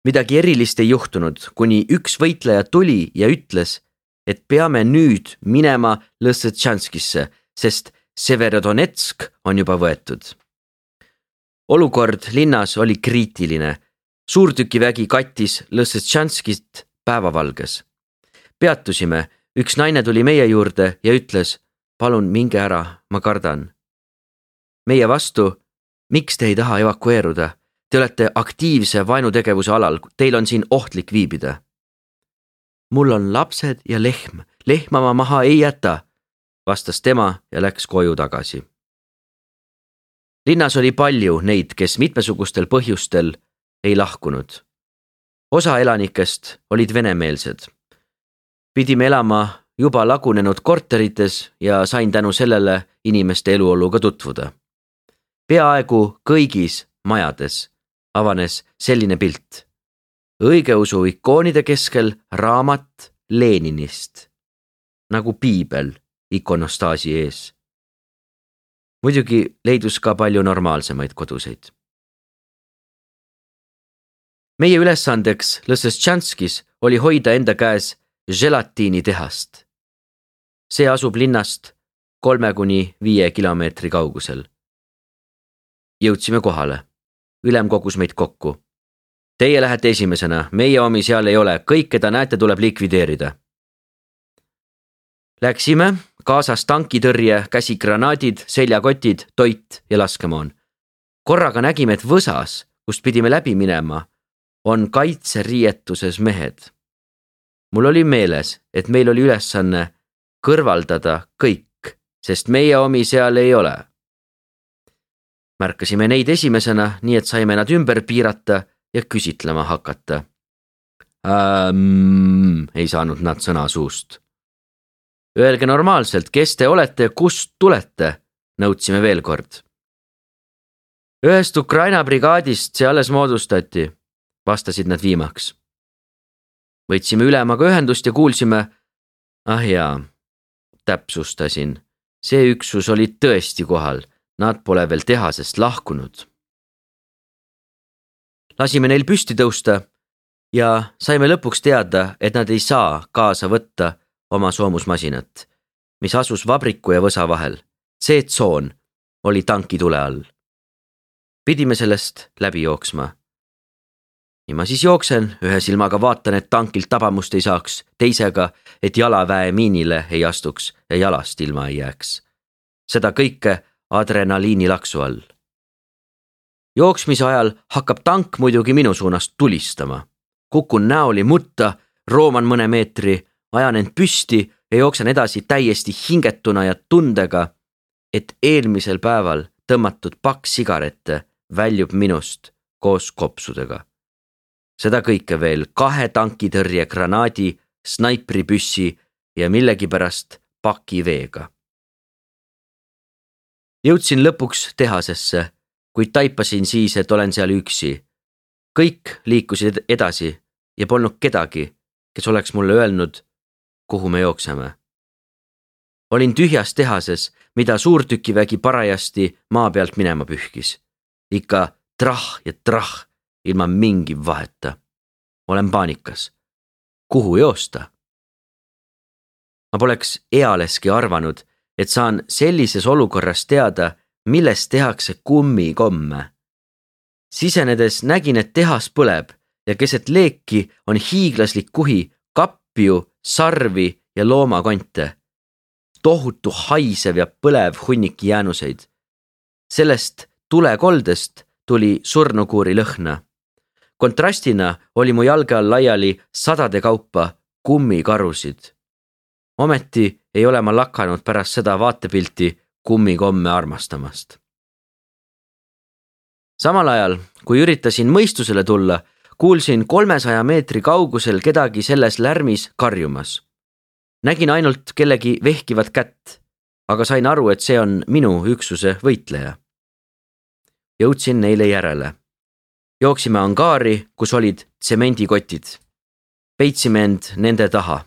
Midagi erilist ei juhtunud, kuni üks võitleja tuli ja ütles, et peame nüüd minema Lõssetšanskisse, sest Severodonetsk on juba võetud. Olukord linnas oli kriitiline. Suurtükivägi kattis Lõssetšanskist päevavalges. Peatusime, üks naine tuli meie juurde ja ütles, palun minge ära, ma kardan. Meie vastu, miks te ei taha evakueeruda? Te olete aktiivse vaenutegevuse alal, teil on siin ohtlik viibida. Mul on lapsed ja lehm, lehma ma maha ei jäta, vastas tema ja läks koju tagasi. Linnas oli palju neid, kes mitmesugustel põhjustel ei lahkunud. Osa elanikest olid venemeelsed. Pidime elama juba lagunenud korterites ja sain tänu sellele inimeste eluoluga tutvuda. Peaaegu kõigis majades avanes selline pilt. Õigeusu ikoonide keskel raamat Leninist, nagu piibel ikonostaasi ees. Muidugi leidus ka palju normaalsemaid koduseid. Meie ülesandeks Lõssetšanskis oli hoida enda käes želatiinitehast. see asub linnast kolme kuni viie kilomeetri kaugusel. Jõudsime kohale. Ülem kogus meid kokku. Teie lähete esimesena, meie omi seal ei ole, kõik, keda näete, tuleb likvideerida. Läksime, kaasas tankitõrje, käsigranaadid, seljakotid, toit ja laskemoon. Korraga nägime, et võsas, kust pidime läbi minema, on kaitseriietuses mehed. Mul oli meeles, et meil oli ülesanne kõrvaldada kõik, sest meie omi seal ei ole. Märkasime neid esimesena, nii et saime nad ümber piirata ja küsitlema hakata. Ähm, ei saanud nad sõna suust. Öelge normaalselt, kes te olete ja kust tulete, nõudsime veel kord. Ühest Ukraina brigaadist see alles moodustati, vastasid nad viimaks. Võtsime ülemaga ühendust ja kuulsime, ah jaa, täpsustasin, see üksus oli tõesti kohal, nad pole veel tehasest lahkunud. Lasime neil püsti tõusta ja saime lõpuks teada, et nad ei saa kaasa võtta oma soomusmasinat, mis asus vabriku ja võsa vahel. See tsoon oli tanki tule all. Pidime sellest läbi jooksma. Nii ma siis jooksen, ühe silmaga vaatan, et tankilt tabamust ei saaks, teisega, et jalaväe miinile ei astuks ja jalast ilma ei jääks. Seda kõike adrenaliini laksu all. Jooksmise ajal hakkab tank muidugi minu suunast tulistama. Kukun näoli mutta, rooman mõne meetri, ajan end püsti ja jooksen edasi täiesti hingetuna ja tundega, et eelmisel päeval tõmmatud paks sigarette väljub minust koos kopsudega. Seda kõike veel kahe tankitõrje granaadi, snaipripüssi ja millegipärast paki veega. Jõudsin lõpuks tehasesse, kuid taipasin siis, et olen seal üksi. Kõik liikusid edasi ja polnud kedagi, kes oleks mulle öelnud, kuhu me jookseme. Olin tühjas tehases, mida suurtükivägi parajasti maa pealt minema pühkis. Ikka trah ja trah ilma mingi vaheta. Olen paanikas. Kuhu joosta? Ma poleks ealeski arvanud, et saan sellises olukorras teada, millest tehakse kummikomme. Sisenedes nägin, et tehas põleb ja keset leeki on hiiglaslik kuhi kapju, sarvi ja loomakonte. Tohutu haisev ja põlev hunnik jäänuseid. Sellest tulekoldest tuli surnukuuri lõhna. Kontrastina oli mu jalge all laiali sadade kaupa kummikarusid. Ometi ei ole ma lakanud pärast seda vaatepilti kummikomme armastamast. Samal ajal, kui üritasin mõistusele tulla, kuulsin kolmesaja meetri kaugusel kedagi selles lärmis karjumas. Nägin ainult kellegi vehkivat kätt, aga sain aru, et see on minu üksuse võitleja. Jõudsin neile järele. Jooksime angaari, kus olid tsemendikotid. Peitsime end nende taha.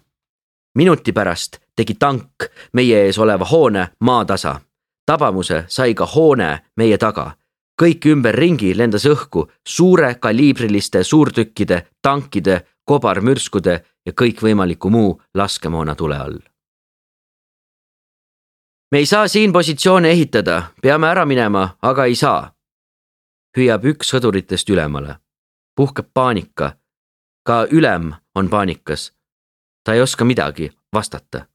Minuti pärast tegi tank meie ees oleva hoone maatasa. Tabamuse sai ka hoone meie taga. Kõik ümber ringi lendas õhku suure kaliibriliste suurtükkide, tankide, kobarmürskude ja kõik võimaliku muu laskemoona tule all. Me ei saa siin positsioone ehitada, peame ära minema, aga ei saa. Hüüab üks sõduritest ülemale. Puhkeb paanika. Ka ülem on paanikas. Ta ei oska midagi vastata.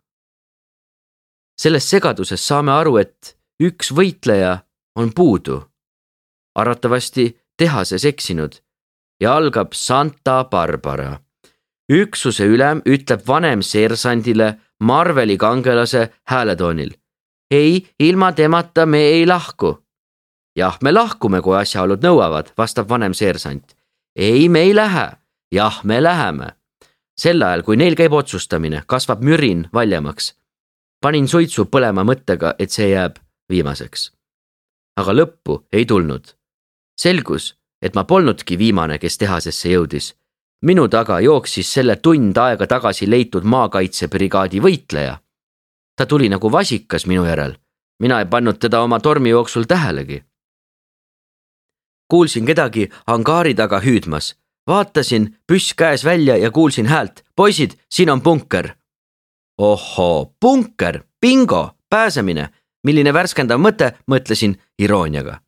Selles segaduses saame aru, et üks võitleja on puudu. Arvatavasti tehases eksinud ja algab Santa Barbara. Üksuse ülem ütleb vanem seersandile Marveli kangelase hääletoonil. Ei, ilma temata me ei lahku. Jah, me lahkume, kui asjaolud nõuavad, vastab vanem seersant. Ei, me ei lähe. Jah, me läheme. Sel ajal, kui neil käib otsustamine, kasvab mürin valjemaks. Panin suitsu põlema mõttega, et see jääb viimaseks. Aga lõppu ei tulnud. Selgus, et ma polnudki viimane, kes tehasesse jõudis. Minu taga jooksis selle tund aega tagasi leitud maakaitsebrigaadi võitleja. Ta tuli nagu vasikas minu järel. Mina ei pannud teda oma tormi jooksul tähelegi. Kuulsin kedagi angaari taga hüüdmas. Vaatasin püss käes välja ja kuulsin häält. Poisid, siin on bunker. ohoo, punker, bingo, pääsemine, milline värskendav mõte, mõtlesin irooniaga.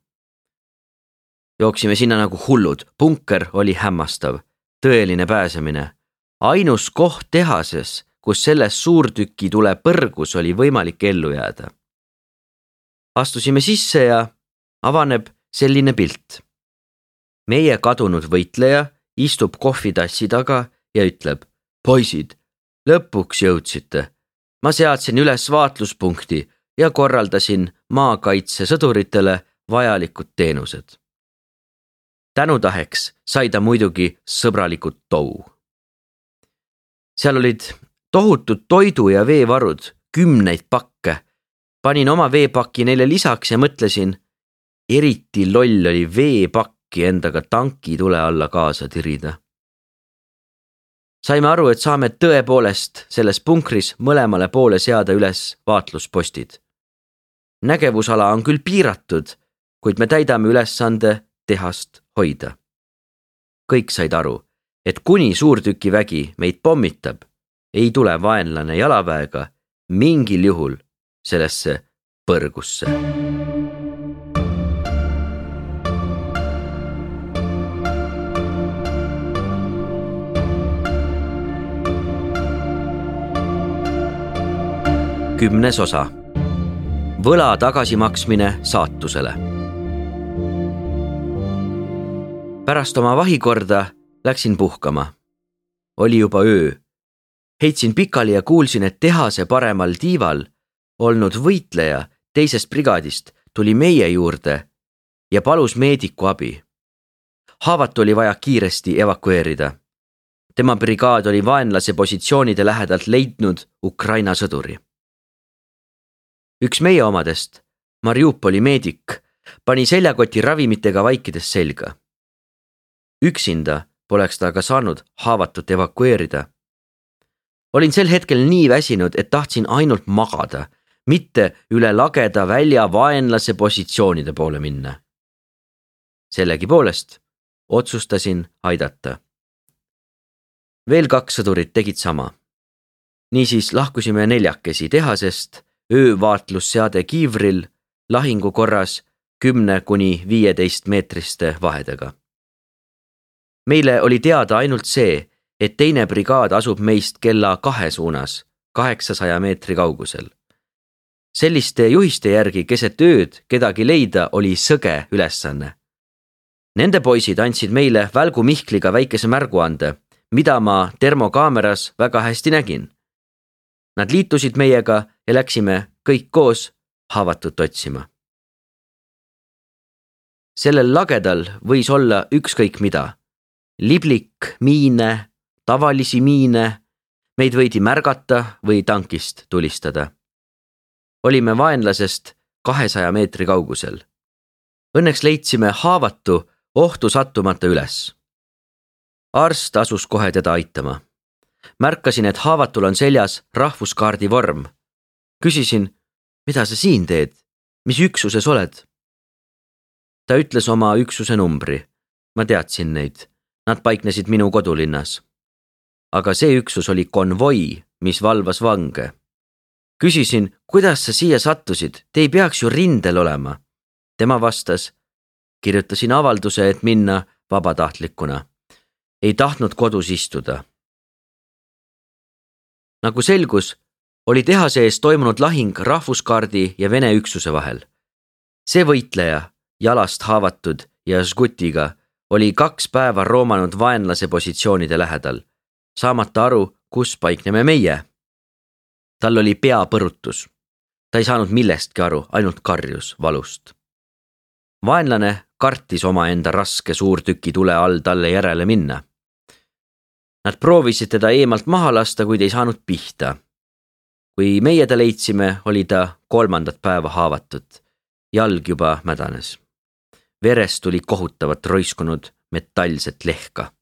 Jooksime sinna nagu hullud, punker oli hämmastav, tõeline pääsemine. Ainus koht tehases, kus selles suurtüki tule põrgus oli võimalik ellu jääda. Astusime sisse ja avaneb selline pilt. Meie kadunud võitleja istub kohvitassi taga ja ütleb, poisid, lõpuks jõudsite. Ma seadsin üles vaatluspunkti ja korraldasin maakaitse sõduritele vajalikud teenused. Tänutaheks sai ta muidugi sõbralikud tou. Seal olid tohutud toidu ja veevarud, kümneid pakke. Panin oma veepakki neile lisaks ja mõtlesin, eriti loll oli veepakki endaga tanki tule alla kaasa tirida. Saime aru, et saame tõepoolest selles punkris mõlemale poole seada üles vaatluspostid. Nägevusala on küll piiratud, kuid me täidame ülesande tehast hoida. Kõik said aru, et kuni suurtükivägi meid pommitab, ei tule vaenlane jalaväega mingil juhul sellesse põrgusse. Kümnes osa. Võla tagasimaksmine saatusele. Pärast oma vahikorda läksin puhkama. Oli juba öö. Heitsin pikali ja kuulsin, et tehase paremal tiival olnud võitleja teisest brigaadist tuli meie juurde ja palus meediku abi. Haavatu oli vaja kiiresti evakueerida. Tema brigaad oli vaenlase positsioonide lähedalt leidnud Ukraina sõduri. Üks meie omadest, Mariupoli meedik, pani seljakoti ravimitega vaikides selga. Üksinda poleks ta aga saanud haavatut evakueerida. Olin sel hetkel nii väsinud, et tahtsin ainult magada, mitte üle lageda välja vaenlase positsioonide poole minna. Sellegi poolest otsustasin aidata. Veel kaks sõdurit tegid sama. Niisiis lahkusime neljakesi tehasest, öövaatlusseade kiivril, lahingu korras kümne kuni viieteist meetriste vahedega. Meile oli teada ainult see, et teine brigaad asub meist kella kahe suunas, kaheksasaja meetri kaugusel. Selliste juhiste järgi keset ööd kedagi leida oli sõge ülesanne. Nende poisid andsid meile välgu Mihkliga väikese märguande, mida ma termokaameras väga hästi nägin. Nad liitusid meiega ja läksime kõik koos haavatut otsima. Sellel lagedal võis olla ükskõik mida. Liblik, miine, tavalisi miine, meid võidi märgata või tankist tulistada. Olime vaenlasest kahesaja meetri kaugusel. Õnneks leidsime haavatu ohtu sattumata üles. Arst asus kohe teda aitama. Märkasin, et haavatul on seljas rahvuskaardi vorm. Küsisin, mida sa siin teed? Mis üksuses oled? Ta ütles oma üksuse numbri. Ma teadsin neid. Nad paiknesid minu kodulinnas. Aga see üksus oli konvoi, mis valvas vange. Küsisin, kuidas sa siia sattusid? Te ei peaks ju rindel olema. Tema vastas, kirjutasin avalduse, et minna vabatahtlikuna. Ei tahtnud kodus istuda. Nagu selgus, oli tehase ees toimunud lahing rahvuskaardi ja Vene üksuse vahel. See võitleja, jalast haavatud ja žgutiga, oli kaks päeva roomanud vaenlase positsioonide lähedal, saamata aru, kus paikneme meie. Tal oli peapõrutus. Ta ei saanud millestki aru, ainult karjus valust. Vaenlane kartis omaenda raske suurtüki tule all talle järele minna. Nad proovisid teda eemalt maha lasta, kuid ei saanud pihta. Kui meie ta leidsime, oli ta kolmandat päeva haavatut. Jalg juba mädanes. Verest tuli kohutavat roiskunud metallset lehka.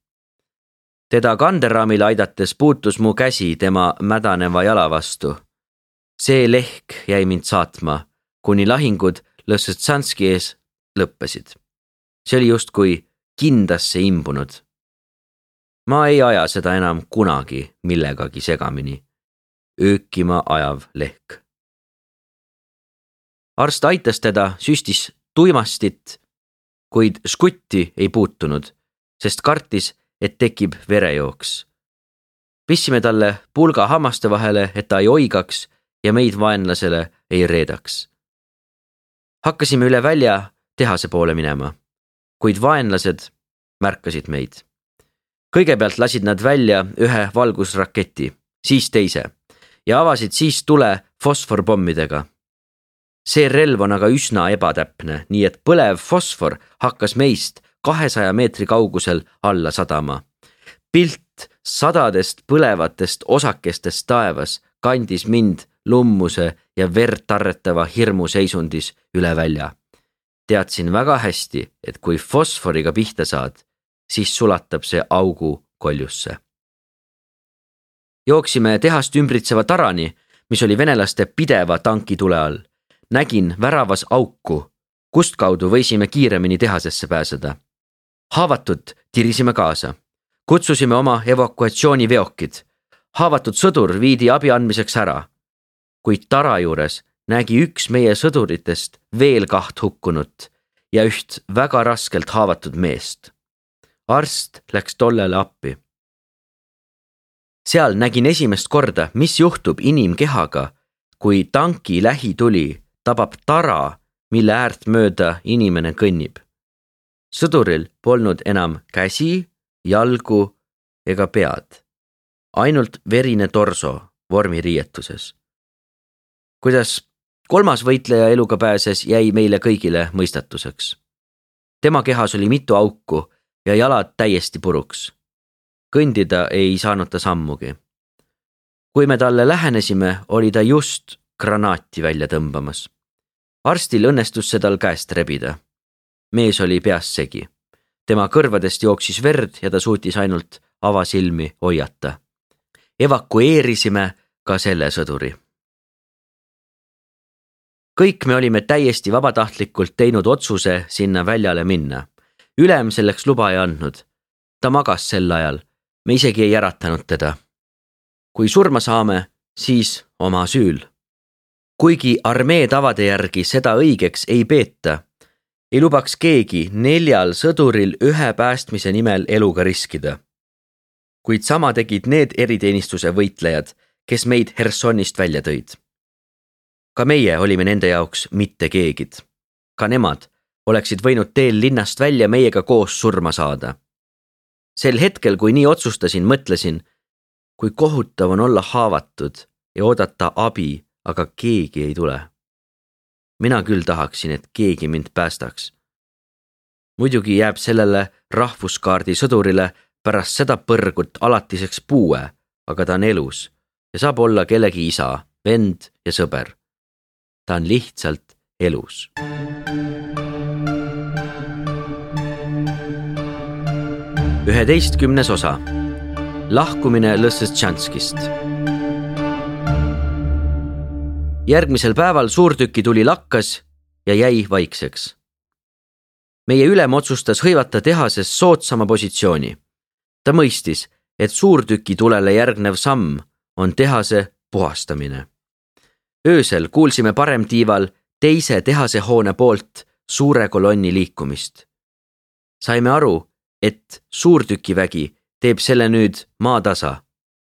Teda kanderaamile aidates puutus mu käsi tema mädaneva jala vastu. See lehk jäi mind saatma, kuni lahingud Lõssetsanski ees lõppesid. See oli just kui kindasse imbunud. Ma ei aja seda enam kunagi millegagi segamini. öökima ajav lehk. Arst aitas teda, süstis tuimastit, kuid škutti ei puutunud, sest kartis, et tekib verejooks. Pissime talle pulga hammaste vahele, et ta ei oigaks ja meid vaenlasele ei reedaks. Hakkasime üle välja tehase poole minema, kuid vaenlased märkasid meid. Kõigepealt lasid nad välja ühe valgusraketi, siis teise ja avasid siis tule fosforpommidega. See relv on aga üsna ebatäpne, nii et põlev fosfor hakkas meist kahesaja meetri kaugusel alla sadama. Pilt sadadest põlevatest osakestest taevas kandis mind lummuse ja verd tarretava hirmu seisundis üle välja. Teadsin väga hästi, et kui fosforiga pihta saad, siis sulatab see augu koljusse. Jooksime tehast ümbritseva tarani, mis oli venelaste pideva tanki tule all. Nägin väravas auku, kust kaudu võisime kiiremini tehasesse pääseda. Haavatud tirisime kaasa. Kutsusime oma evakuatsiooniveokid. Haavatud sõdur viidi abi andmiseks ära. Kuid tara juures nägi üks meie sõduritest veel kaht hukkunut ja üht väga raskelt haavatud meest. Arst läks tollele appi. Seal nägin esimest korda, mis juhtub inimkehaga, kui tanki lähituli tabab tara, mille äärt mööda inimene kõnnib. Sõduril polnud enam käsi, jalgu ega pead. Ainult verine torso vormiriietuses. Kuidas kolmas võitleja eluga pääses, jäi meile kõigile mõistatuseks. Tema kehas oli mitu auku ja jalad täiesti puruks. Kõndida ei saanud ta sammugi. Kui me talle lähenesime, oli ta just granaati välja tõmbamas. Arstil õnnestus see tal käest rebida. Mees oli peas segi. Tema kõrvadest jooksis verd ja ta suutis ainult avasilmi hoiata. Evakueerisime ka selle sõduri. Kõik me olime täiesti vabatahtlikult teinud otsuse sinna väljale minna. Ülem selleks luba ei andnud. Ta magas sel ajal. Me isegi ei äratanud teda. Kui surma saame, siis oma süül. Kuigi armee tavade järgi seda õigeks ei peeta, ei lubaks keegi neljal sõduril ühe päästmise nimel eluga riskida. Kuid sama tegid need eriteenistuse võitlejad, kes meid Hersonist välja tõid. Ka meie olime nende jaoks mitte keegid. Ka nemad oleksid võinud teel linnast välja meiega koos surma saada. Sel hetkel, kui nii otsustasin, mõtlesin, kui kohutav on olla haavatud ja oodata abi, aga keegi ei tule. Mina küll tahaksin, et keegi mind päästaks. Muidugi jääb sellele rahvuskaardi sõdurile pärast seda põrgut alatiseks puue, aga ta on elus ja saab olla kellegi isa, vend ja sõber. Ta on lihtsalt elus. üheteistkümnes osa. Lahkumine Lõssetšanskist. Järgmisel päeval suurtüki tuli lakkas ja jäi vaikseks. Meie ülem otsustas hõivata tehases soodsama positsiooni. Ta mõistis, et suurtüki tulele järgnev samm on tehase puhastamine. Öösel kuulsime paremtiival teise tehase hoone poolt suure kolonni liikumist. Saime aru, et suurtükivägi teeb selle nüüd maatasa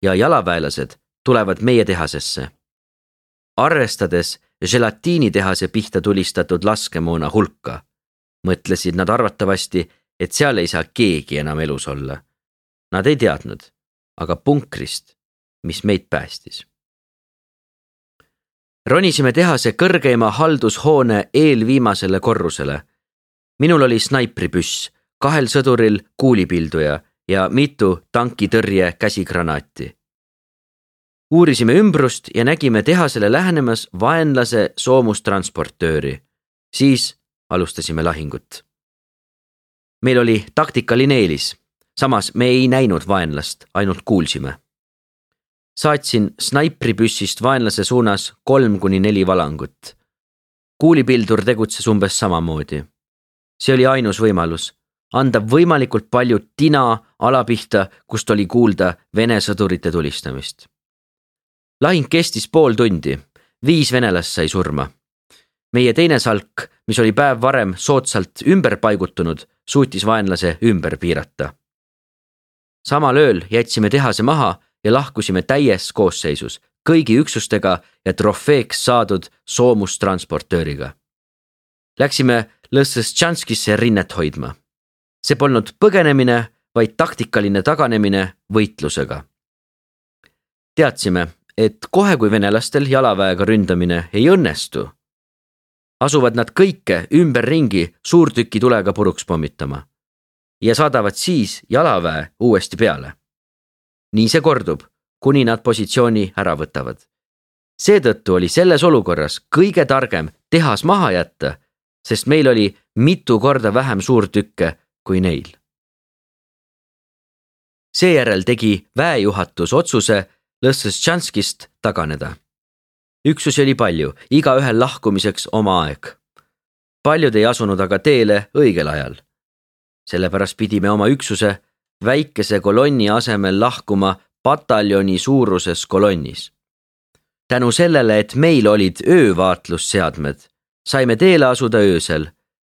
ja jalaväelased tulevad meie tehasesse. Arvestades gelatiinitehase pihta tulistatud laskemoona hulka, mõtlesid nad arvatavasti, et seal ei saa keegi enam elus olla. Nad ei teadnud, aga punkrist, mis meid päästis. Ronisime tehase kõrgeima haldushoone eelviimasele korrusele. Minul oli snaipripüss, kahel sõduril kuulipilduja ja mitu tankitõrje käsigranaati. Uurisime ümbrust ja nägime tehasele lähenemas vaenlase soomustransportööri. Siis alustasime lahingut. Meil oli taktikaline eelis, samas me ei näinud vaenlast, ainult kuulsime. Saatsin snaipripüssist vaenlase suunas kolm kuni neli valangut. Kuulipildur tegutses umbes samamoodi. See oli ainus võimalus, anda võimalikult palju tina alapihta, kust oli kuulda Vene sõdurite tulistamist. Lahing kestis pool tundi, viis venelast sai surma. Meie teine salk, mis oli päev varem soodsalt ümber paigutunud, suutis vaenlase ümber piirata. Samal ööl jätsime tehase maha ja lahkusime täies koosseisus, kõigi üksustega ja trofeeks saadud soomustransportööriga. Läksime Lõssetšanskisse rinnet hoidma. See polnud põgenemine, vaid taktikaline taganemine võitlusega. Teadsime, et kohe kui venelastel jalaväega ründamine ei õnnestu, asuvad nad kõike ümber ringi suurtüki tulega puruks pommitama ja saadavad siis jalaväe uuesti peale. Nii see kordub, kuni nad positsiooni ära võtavad. Seetõttu oli selles olukorras kõige targem tehas maha jätta, sest meil oli mitu korda vähem suurtükke kui neil. Seejärel tegi väejuhatus otsuse Lõssetšanskist taganeda. Üksusi oli palju, iga ühel lahkumiseks oma aeg. Paljud ei asunud aga teele õigel ajal. Sellepärast pidime oma üksuse väikese kolonni asemel lahkuma pataljoni suuruses kolonnis. Tänu sellele, et meil olid öövaatlusseadmed, saime teele asuda öösel,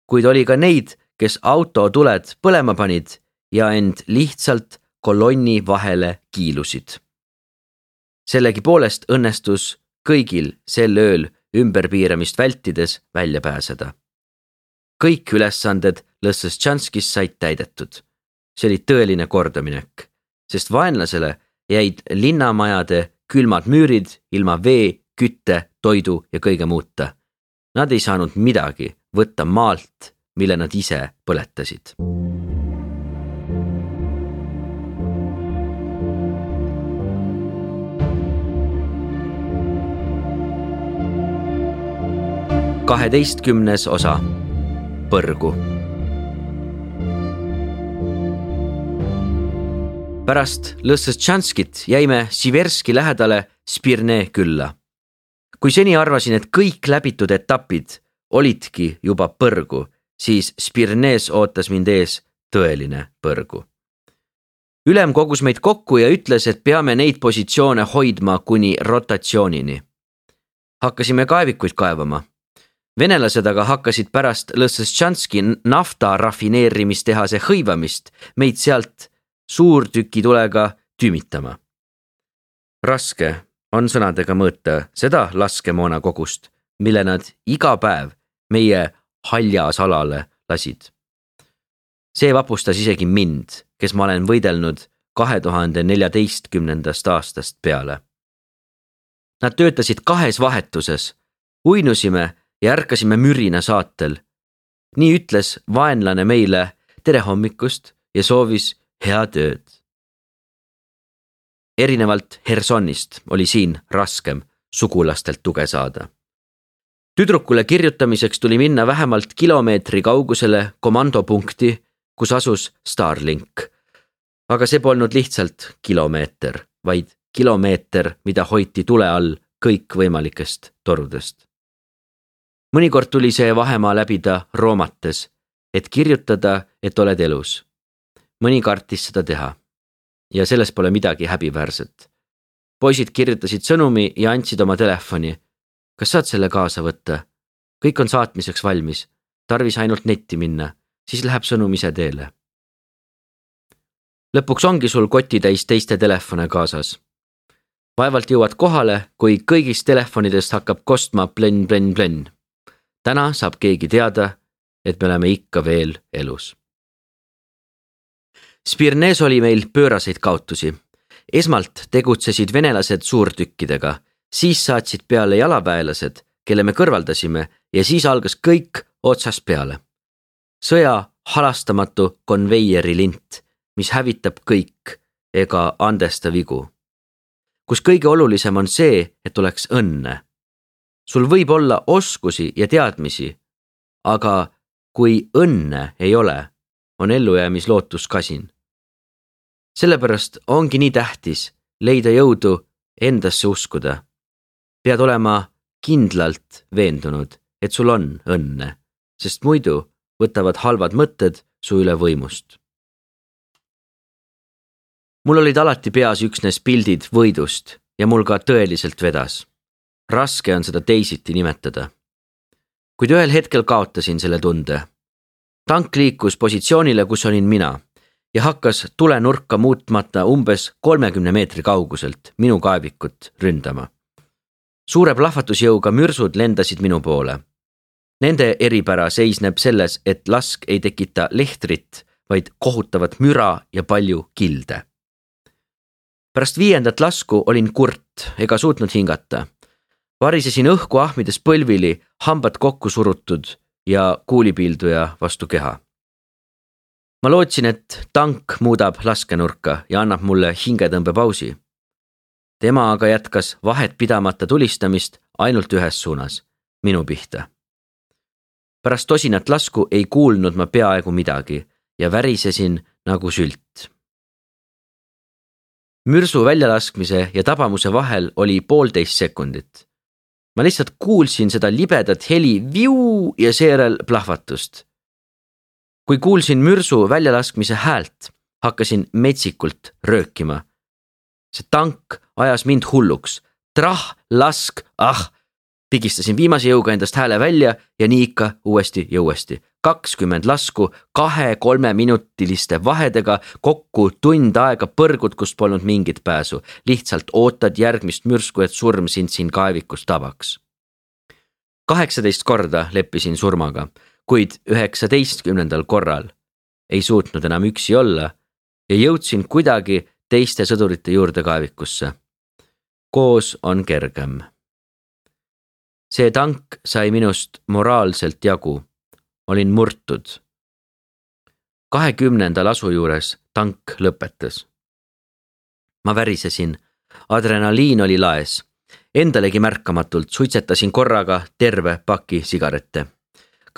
kuid oli ka neid, kes autotuled põlema panid ja end lihtsalt kolonni vahele kiilusid. Sellegi poolest õnnestus kõigil sel ööl ümberpiiramist vältides välja pääseda. Kõik ülesanded Lõssetšanskis said täidetud. See oli tõeline kordaminek, sest vaenlasele jäid linnamajade külmad müürid ilma vee, kütte, toidu ja kõige muuta. Nad ei saanud midagi võtta maalt, mille nad ise põletasid. kaheteistkümnes osa. Põrgu. Pärast Lõssetšanskit jäime Siverski lähedale Spirne külla. Kui seni arvasin, et kõik läbitud etapid olidki juba põrgu, siis Spirnes ootas mind ees tõeline põrgu. Ülem kogus meid kokku ja ütles, et peame neid positsioone hoidma kuni rotatsioonini. Hakkasime kaevikuid kaevama. Venelased aga hakkasid pärast Lõssetšanski nafta rafineerimistehase hõivamist meid sealt suurtükitulega tümitama. Raske on sõnadega mõõta seda laskemoona kogust, mille nad iga päev meie haljas alale lasid. See vapustas isegi mind, kes ma olen võidelnud kahe tuhande neljateistkümnendast aastast peale. Nad töötasid kahes vahetuses, uinusime ja ärkasime mürina saatel. Nii ütles vaenlane meile tere hommikust ja soovis head ööd. Erinevalt Hersonist oli siin raskem sugulastelt tuge saada. Tüdrukule kirjutamiseks tuli minna vähemalt kilomeetri kaugusele komandopunkti, kus asus Starlink. Aga see polnud lihtsalt kilomeeter, vaid kilomeeter, mida hoiti tule all kõikvõimalikest torudest. Mõnikord tuli see vahemaa läbida roomates, et kirjutada, et oled elus. Mõni kartis seda teha. Ja selles pole midagi häbiväärset. Poisid kirjutasid sõnumi ja andsid oma telefoni. Kas saad selle kaasa võtta? Kõik on saatmiseks valmis. Tarvis ainult netti minna, siis läheb sõnum ise teele. Lõpuks ongi sul kotitäis teiste telefone kaasas. Vaevalt jõuad kohale, kui kõigist telefonidest hakkab kostma plen, plen, plen. Täna saab keegi teada, et me oleme ikka veel elus. Spirnes oli meil pööraseid kaotusi. Esmalt tegutsesid venelased suurtükkidega, siis saatsid peale jalaväelased, kelle me kõrvaldasime ja siis algas kõik otsast peale. Sõja halastamatu konveieri lint, mis hävitab kõik ega andesta vigu. Kus kõige olulisem on see, et oleks õnne. Sul võib olla oskusi ja teadmisi, aga kui õnne ei ole, on ellujäämislootus kasin. Sellepärast ongi nii tähtis leida jõudu endasse uskuda. Pead olema kindlalt veendunud, et sul on õnne, sest muidu võtavad halvad mõtted su üle võimust. Mul olid alati peas üksnes pildid võidust ja mul ka tõeliselt vedas. Raske on seda teisiti nimetada. Kuid ühel hetkel kaotasin selle tunde. Tank liikus positsioonile, kus olin mina ja hakkas tulenurka muutmata umbes kolmekümne meetri kauguselt minu kaevikut ründama. Suure plahvatusjõuga mürsud lendasid minu poole. Nende eripära seisneb selles, et lask ei tekita lehtrit, vaid kohutavat müra ja palju kilde. Pärast viiendat lasku olin kurt ega suutnud hingata. Varisesin õhku ahmides põlvili, hambad kokku surutud ja kuulipiilduja vastu keha. Ma lootsin, et tank muudab laskenurka ja annab mulle hingetõmbepausi. Tema aga jätkas vahet pidamata tulistamist ainult ühes suunas, minu pihta. Pärast tosinat lasku ei kuulnud ma peaaegu midagi ja värisesin nagu sült. Mürsu väljalaskmise ja tabamuse vahel oli poolteist sekundit. Ma lihtsalt kuulsin seda libedat heli viu ja seerel plahvatust. Kui kuulsin mürsu väljalaskmise häält, hakkasin metsikult röökima. See tank ajas mind hulluks. Trah, lask, ah! Pigistasin viimase jõuga endast hääle välja ja nii ikka uuesti ja uuesti. kakskümmend lasku kahe-kolme minutiliste vahedega, kokku tund aega põrgud, kust polnud mingit pääsu. Lihtsalt ootad järgmist mürsku, et surm sind siin kaevikus tabaks. kaheksateist korda leppisin surmaga, kuid üheksateistkümnendal korral ei suutnud enam üksi olla ja jõudsin kuidagi teiste sõdurite juurde kaevikusse. Koos on kergem. See tank sai minust moraalselt jagu. Olin murtud. kahekümnenda lasu juures tank lõpetas. Ma värisesin. Adrenaliin oli laes. Endalegi märkamatult suitsetasin korraga terve paki sigarette.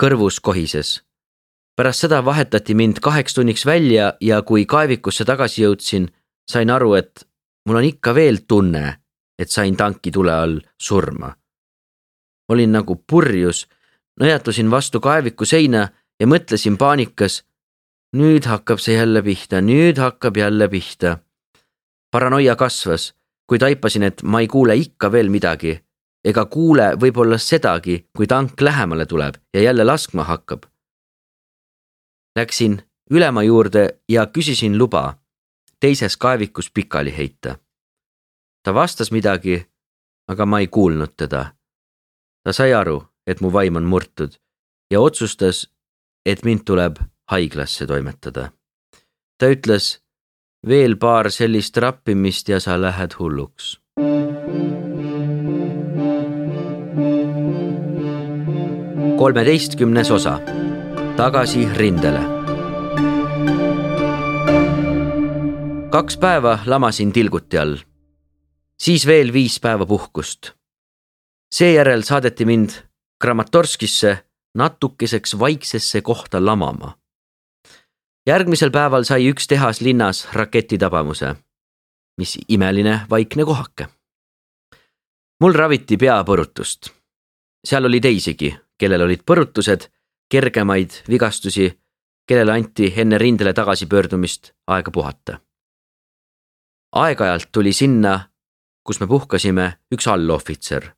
Kõrvus kohises. Pärast seda vahetati mind kaheks tunniks välja ja kui kaevikusse tagasi jõudsin, sain aru, et mul on ikka veel tunne, et sain tanki tule all surma. Olin nagu purjus, nõjatusin vastu kaeviku seina ja mõtlesin paanikas, nüüd hakkab see jälle pihta, nüüd hakkab jälle pihta. Paranoia kasvas, kui taipasin, et ma ei kuule ikka veel midagi, ega kuule võib-olla sedagi, kui tank lähemale tuleb ja jälle laskma hakkab. Läksin ülema juurde ja küsisin luba teises kaevikus pikali heita. Ta vastas midagi, aga ma ei kuulnud teda. Ta sai aru, et mu vaim on murtud ja otsustas, et mind tuleb haiglasse toimetada. Ta ütles, veel paar sellist rappimist ja sa lähed hulluks. kolmeteistkümnes osa. Tagasi rindele. Kaks päeva lamasin tilguti all. Siis veel viis päeva puhkust. Seejärel saadeti mind Kramatorskisse natukeseks vaiksesse kohta lamama. Järgmisel päeval sai üks tehas linnas raketitabamuse. Mis imeline vaikne kohake. Mul raviti peapõrutust. Seal oli teisigi, kellel olid põrutused, kergemaid vigastusi, kellele anti enne rindele tagasi pöördumist aega puhata. Aeg-ajalt tuli sinna, kus me puhkasime, üks allohvitser.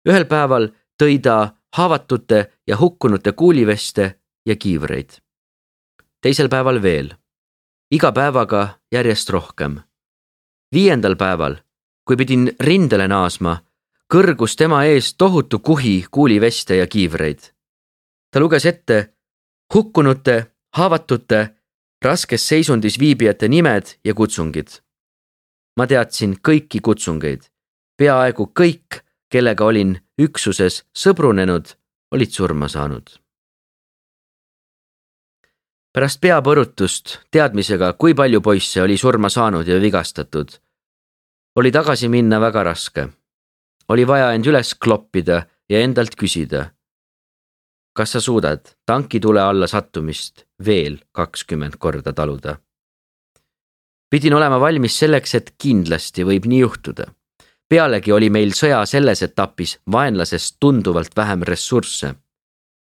Ühel päeval tõi ta haavatute ja hukkunute kuuliveste ja kiivreid. Teisel päeval veel. Iga päevaga järjest rohkem. Viiendal päeval, kui pidin rindele naasma, kõrgus tema ees tohutu kuhi kuuliveste ja kiivreid. Ta luges ette hukkunute, haavatute, raskes seisundis viibijate nimed ja kutsungid. Ma teadsin kõiki kutsungeid. Peaaegu kõik, kellega olin üksuses sõbrunenud, olid surma saanud. Pärast peapõrutust teadmisega, kui palju poisse oli surma saanud ja vigastatud, oli tagasi minna väga raske. Oli vaja end üles kloppida ja endalt küsida, kas sa suudad tanki tule alla sattumist veel kakskümmend korda taluda. Pidin olema valmis selleks, et kindlasti võib nii juhtuda. Pealegi oli meil sõja selles etapis vaenlasest tunduvalt vähem ressursse.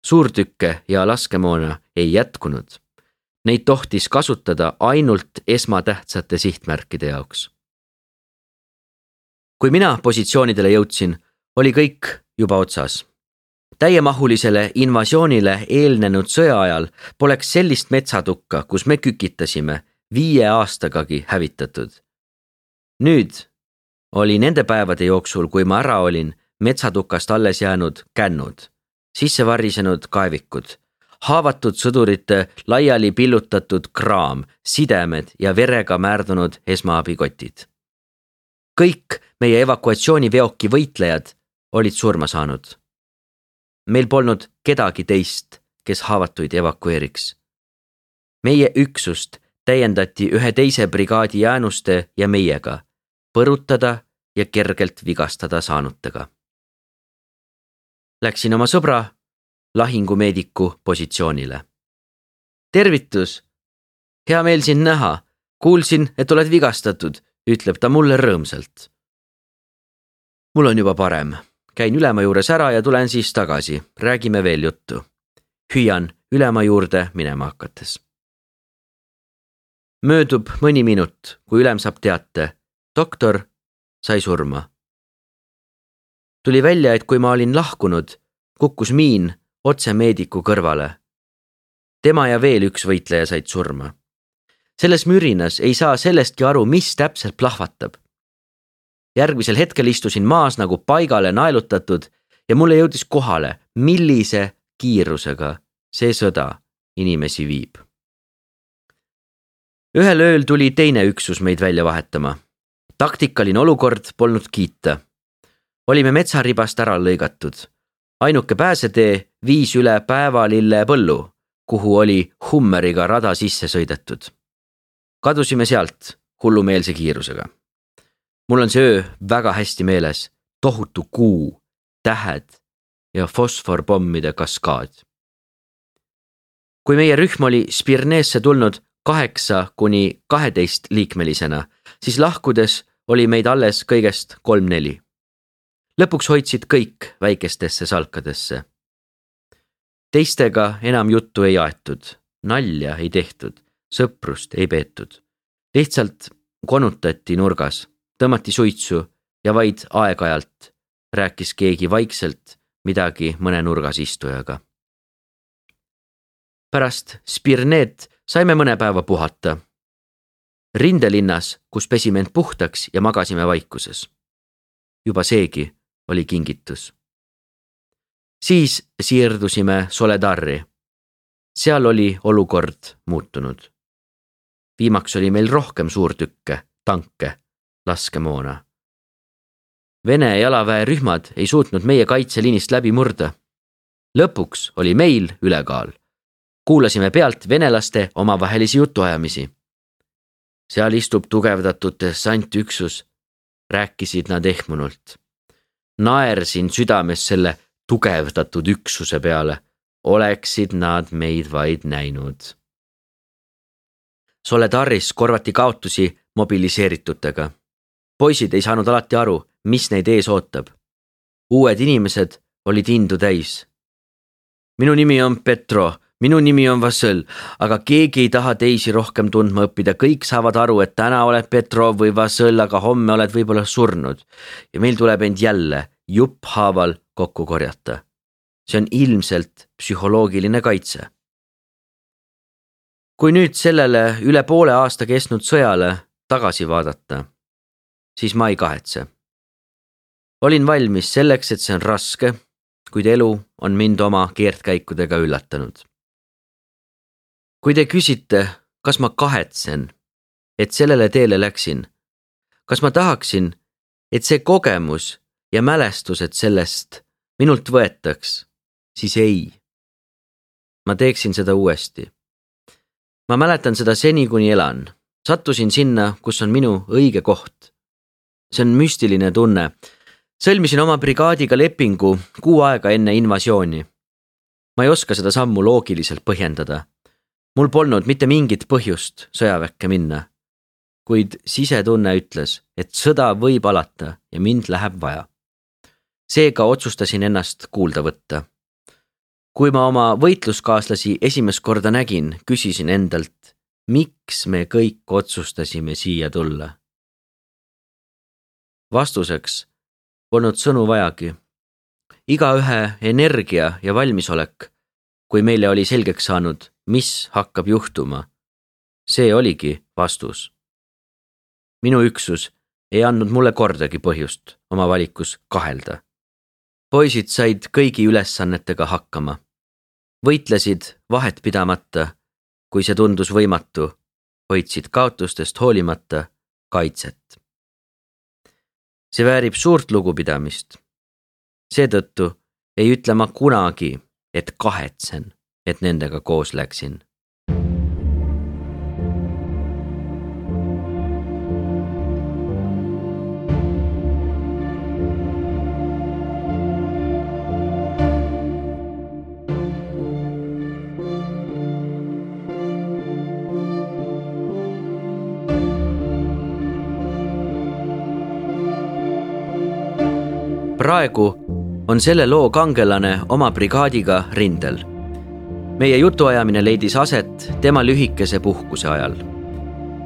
Suurtükke ja laskemoona ei jätkunud. Neid tohtis kasutada ainult esmatähtsate sihtmärkide jaoks. kui mina positsioonidele jõudsin, oli kõik juba otsas. Täiemahulisele invasioonile eelnenud sõja ajal poleks sellist metsatukka, kus me kükitasime, viie aastagagi hävitatud. Nüüd oli nende päevade jooksul, kui ma ära olin, metsatukast alles jäänud kännud, sisse varisenud kaevikud, haavatud sõdurite laiali pillutatud kraam, sidemed ja verega määrdunud esmaabikotid. Kõik meie evakuatsiooniveoki võitlejad olid surma saanud. Meil polnud kedagi teist, kes haavatuid evakueeriks. Meie üksust täiendati ühe teise brigaadi jäänuste ja meiega, põrutada ja kergelt vigastada saanutega. Läksin oma sõbra, lahingumeediku positsioonile. Tervitus! Hea meel sind näha. Kuulsin, et oled vigastatud, ütleb ta mulle rõõmsalt. Mul on juba parem. Käin ülema juures ära ja tulen siis tagasi. Räägime veel juttu. Hüüan ülema juurde minema hakates. Möödub mõni minut, kui ülem saab teate. Doktor sai surma. Tuli välja, et kui ma olin lahkunud, kukkus miin otse meediku kõrvale. Tema ja veel üks võitleja said surma. Selles mürinas ei saa sellestki aru, mis täpselt plahvatab. Järgmisel hetkel istusin maas nagu paigale naelutatud ja mulle jõudis kohale, millise kiirusega see sõda inimesi viib. Ühel ööl tuli teine üksus meid välja vahetama. Taktikaline olukord polnud kiita. Olime metsaribast ära lõigatud. Ainuke pääsetee viis üle Päevalille põllu, kuhu oli Hummeriga rada sisse sõidetud. Kadusime sealt hullumeelse kiirusega. Mul on see öö väga hästi meeles, tohutu kuu, tähed ja fosforpommide kaskaad. Kui meie rühm oli Spirneesse tulnud kaheksa kuni kaheteist liikmelisena, siis lahkudes oli meid alles kõigest kolm-neli. Lõpuks hoidsid kõik väikestesse salkadesse. Teistega enam juttu ei aetud, nalja ei tehtud, sõprust ei peetud. Lihtsalt konutati nurgas, tõmmati suitsu ja vaid aeg-ajalt rääkis keegi vaikselt midagi mõne nurgas istujaga. Pärast Spirneet saime mõne päeva puhata. Rindelinnas, kus pesime end puhtaks ja magasime vaikuses. Juba seegi oli kingitus. Siis siirdusime Soledarri. Seal oli olukord muutunud. Viimaks oli meil rohkem suurtükke, tanke, laskemoona. Vene jalaväerühmad ei suutnud meie kaitseliinist läbi murda. Lõpuks oli meil ülekaal. Kuulasime pealt venelaste omavahelisi jutuajamisi. Seal istub tugevdatud dessantüksus, rääkisid nad ehmunult. Naersin südames selle tugevdatud üksuse peale, oleksid nad meid vaid näinud. Soledaris korvati kaotusi mobiliseeritutega. Poisid ei saanud alati aru, mis neid ees ootab. Uued inimesed olid indu täis. Minu nimi on Petro, minu nimi on Vassel, aga keegi ei taha teisi rohkem tundma õppida. Kõik saavad aru, et täna oled Petro või Vassel, aga homme oled võib-olla surnud. Ja meil tuleb end jälle jupp haaval kokku korjata. See on ilmselt psühholoogiline kaitse. Kui nüüd sellele üle poole aasta kestnud sõjale tagasi vaadata, siis ma ei kahetse. Olin valmis selleks, et see on raske, kuid elu on mind oma keerdkäikudega üllatanud. Kui te küsite, kas ma kahetsen, et sellele teele läksin, kas ma tahaksin, et see kogemus ja mälestused sellest minult võetaks, siis ei. Ma teeksin seda uuesti. Ma mäletan seda seni, kuni elan. Sattusin sinna, kus on minu õige koht. See on müstiline tunne. Sõlmisin oma brigaadiga lepingu kuu aega enne invasiooni. Ma ei oska seda sammu loogiliselt põhjendada. Mul polnud mitte mingit põhjust sõjaväkke minna. Kuid sisetunne ütles, et sõda võib alata ja mind läheb vaja. Seega otsustasin ennast kuulda võtta. Kui ma oma võitluskaaslasi esimest korda nägin, küsisin endalt, miks me kõik otsustasime siia tulla. Vastuseks polnud sõnu vajagi. Igaühe energia ja valmisolek, kui meile oli selgeks saanud, mis hakkab juhtuma. See oligi vastus. Minu üksus ei andnud mulle kordagi põhjust oma valikus kahelda. Poisid said kõigi ülesannetega hakkama. Võitlesid vahet pidamata, kui see tundus võimatu, hoidsid kaotustest hoolimata kaitset. See väärib suurt lugupidamist. Seetõttu ei ütle ma kunagi, et kahetsen, et nendega koos läksin. Praegu on selle loo kangelane oma brigaadiga rindel. Meie jutuajamine leidis aset tema lühikese puhkuse ajal.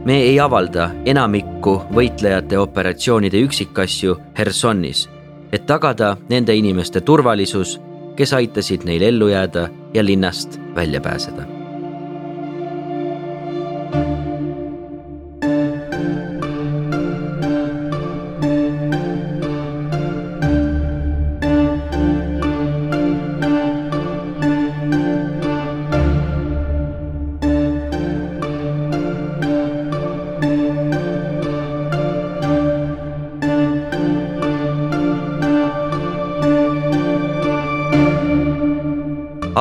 Me ei avalda enamikku võitlejate operatsioonide üksikasju Hersonis, et tagada nende inimeste turvalisus, kes aitasid neil ellu jääda ja linnast välja pääseda.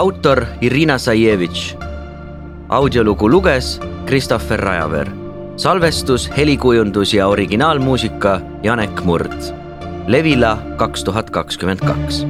Autor Irina Sajevitš. Audiolugu luges Kristoffer Rajaver. Salvestus, helikujundus ja originaalmuusika Janek Murd. Levila kaks tuhat kakskümmend kaks.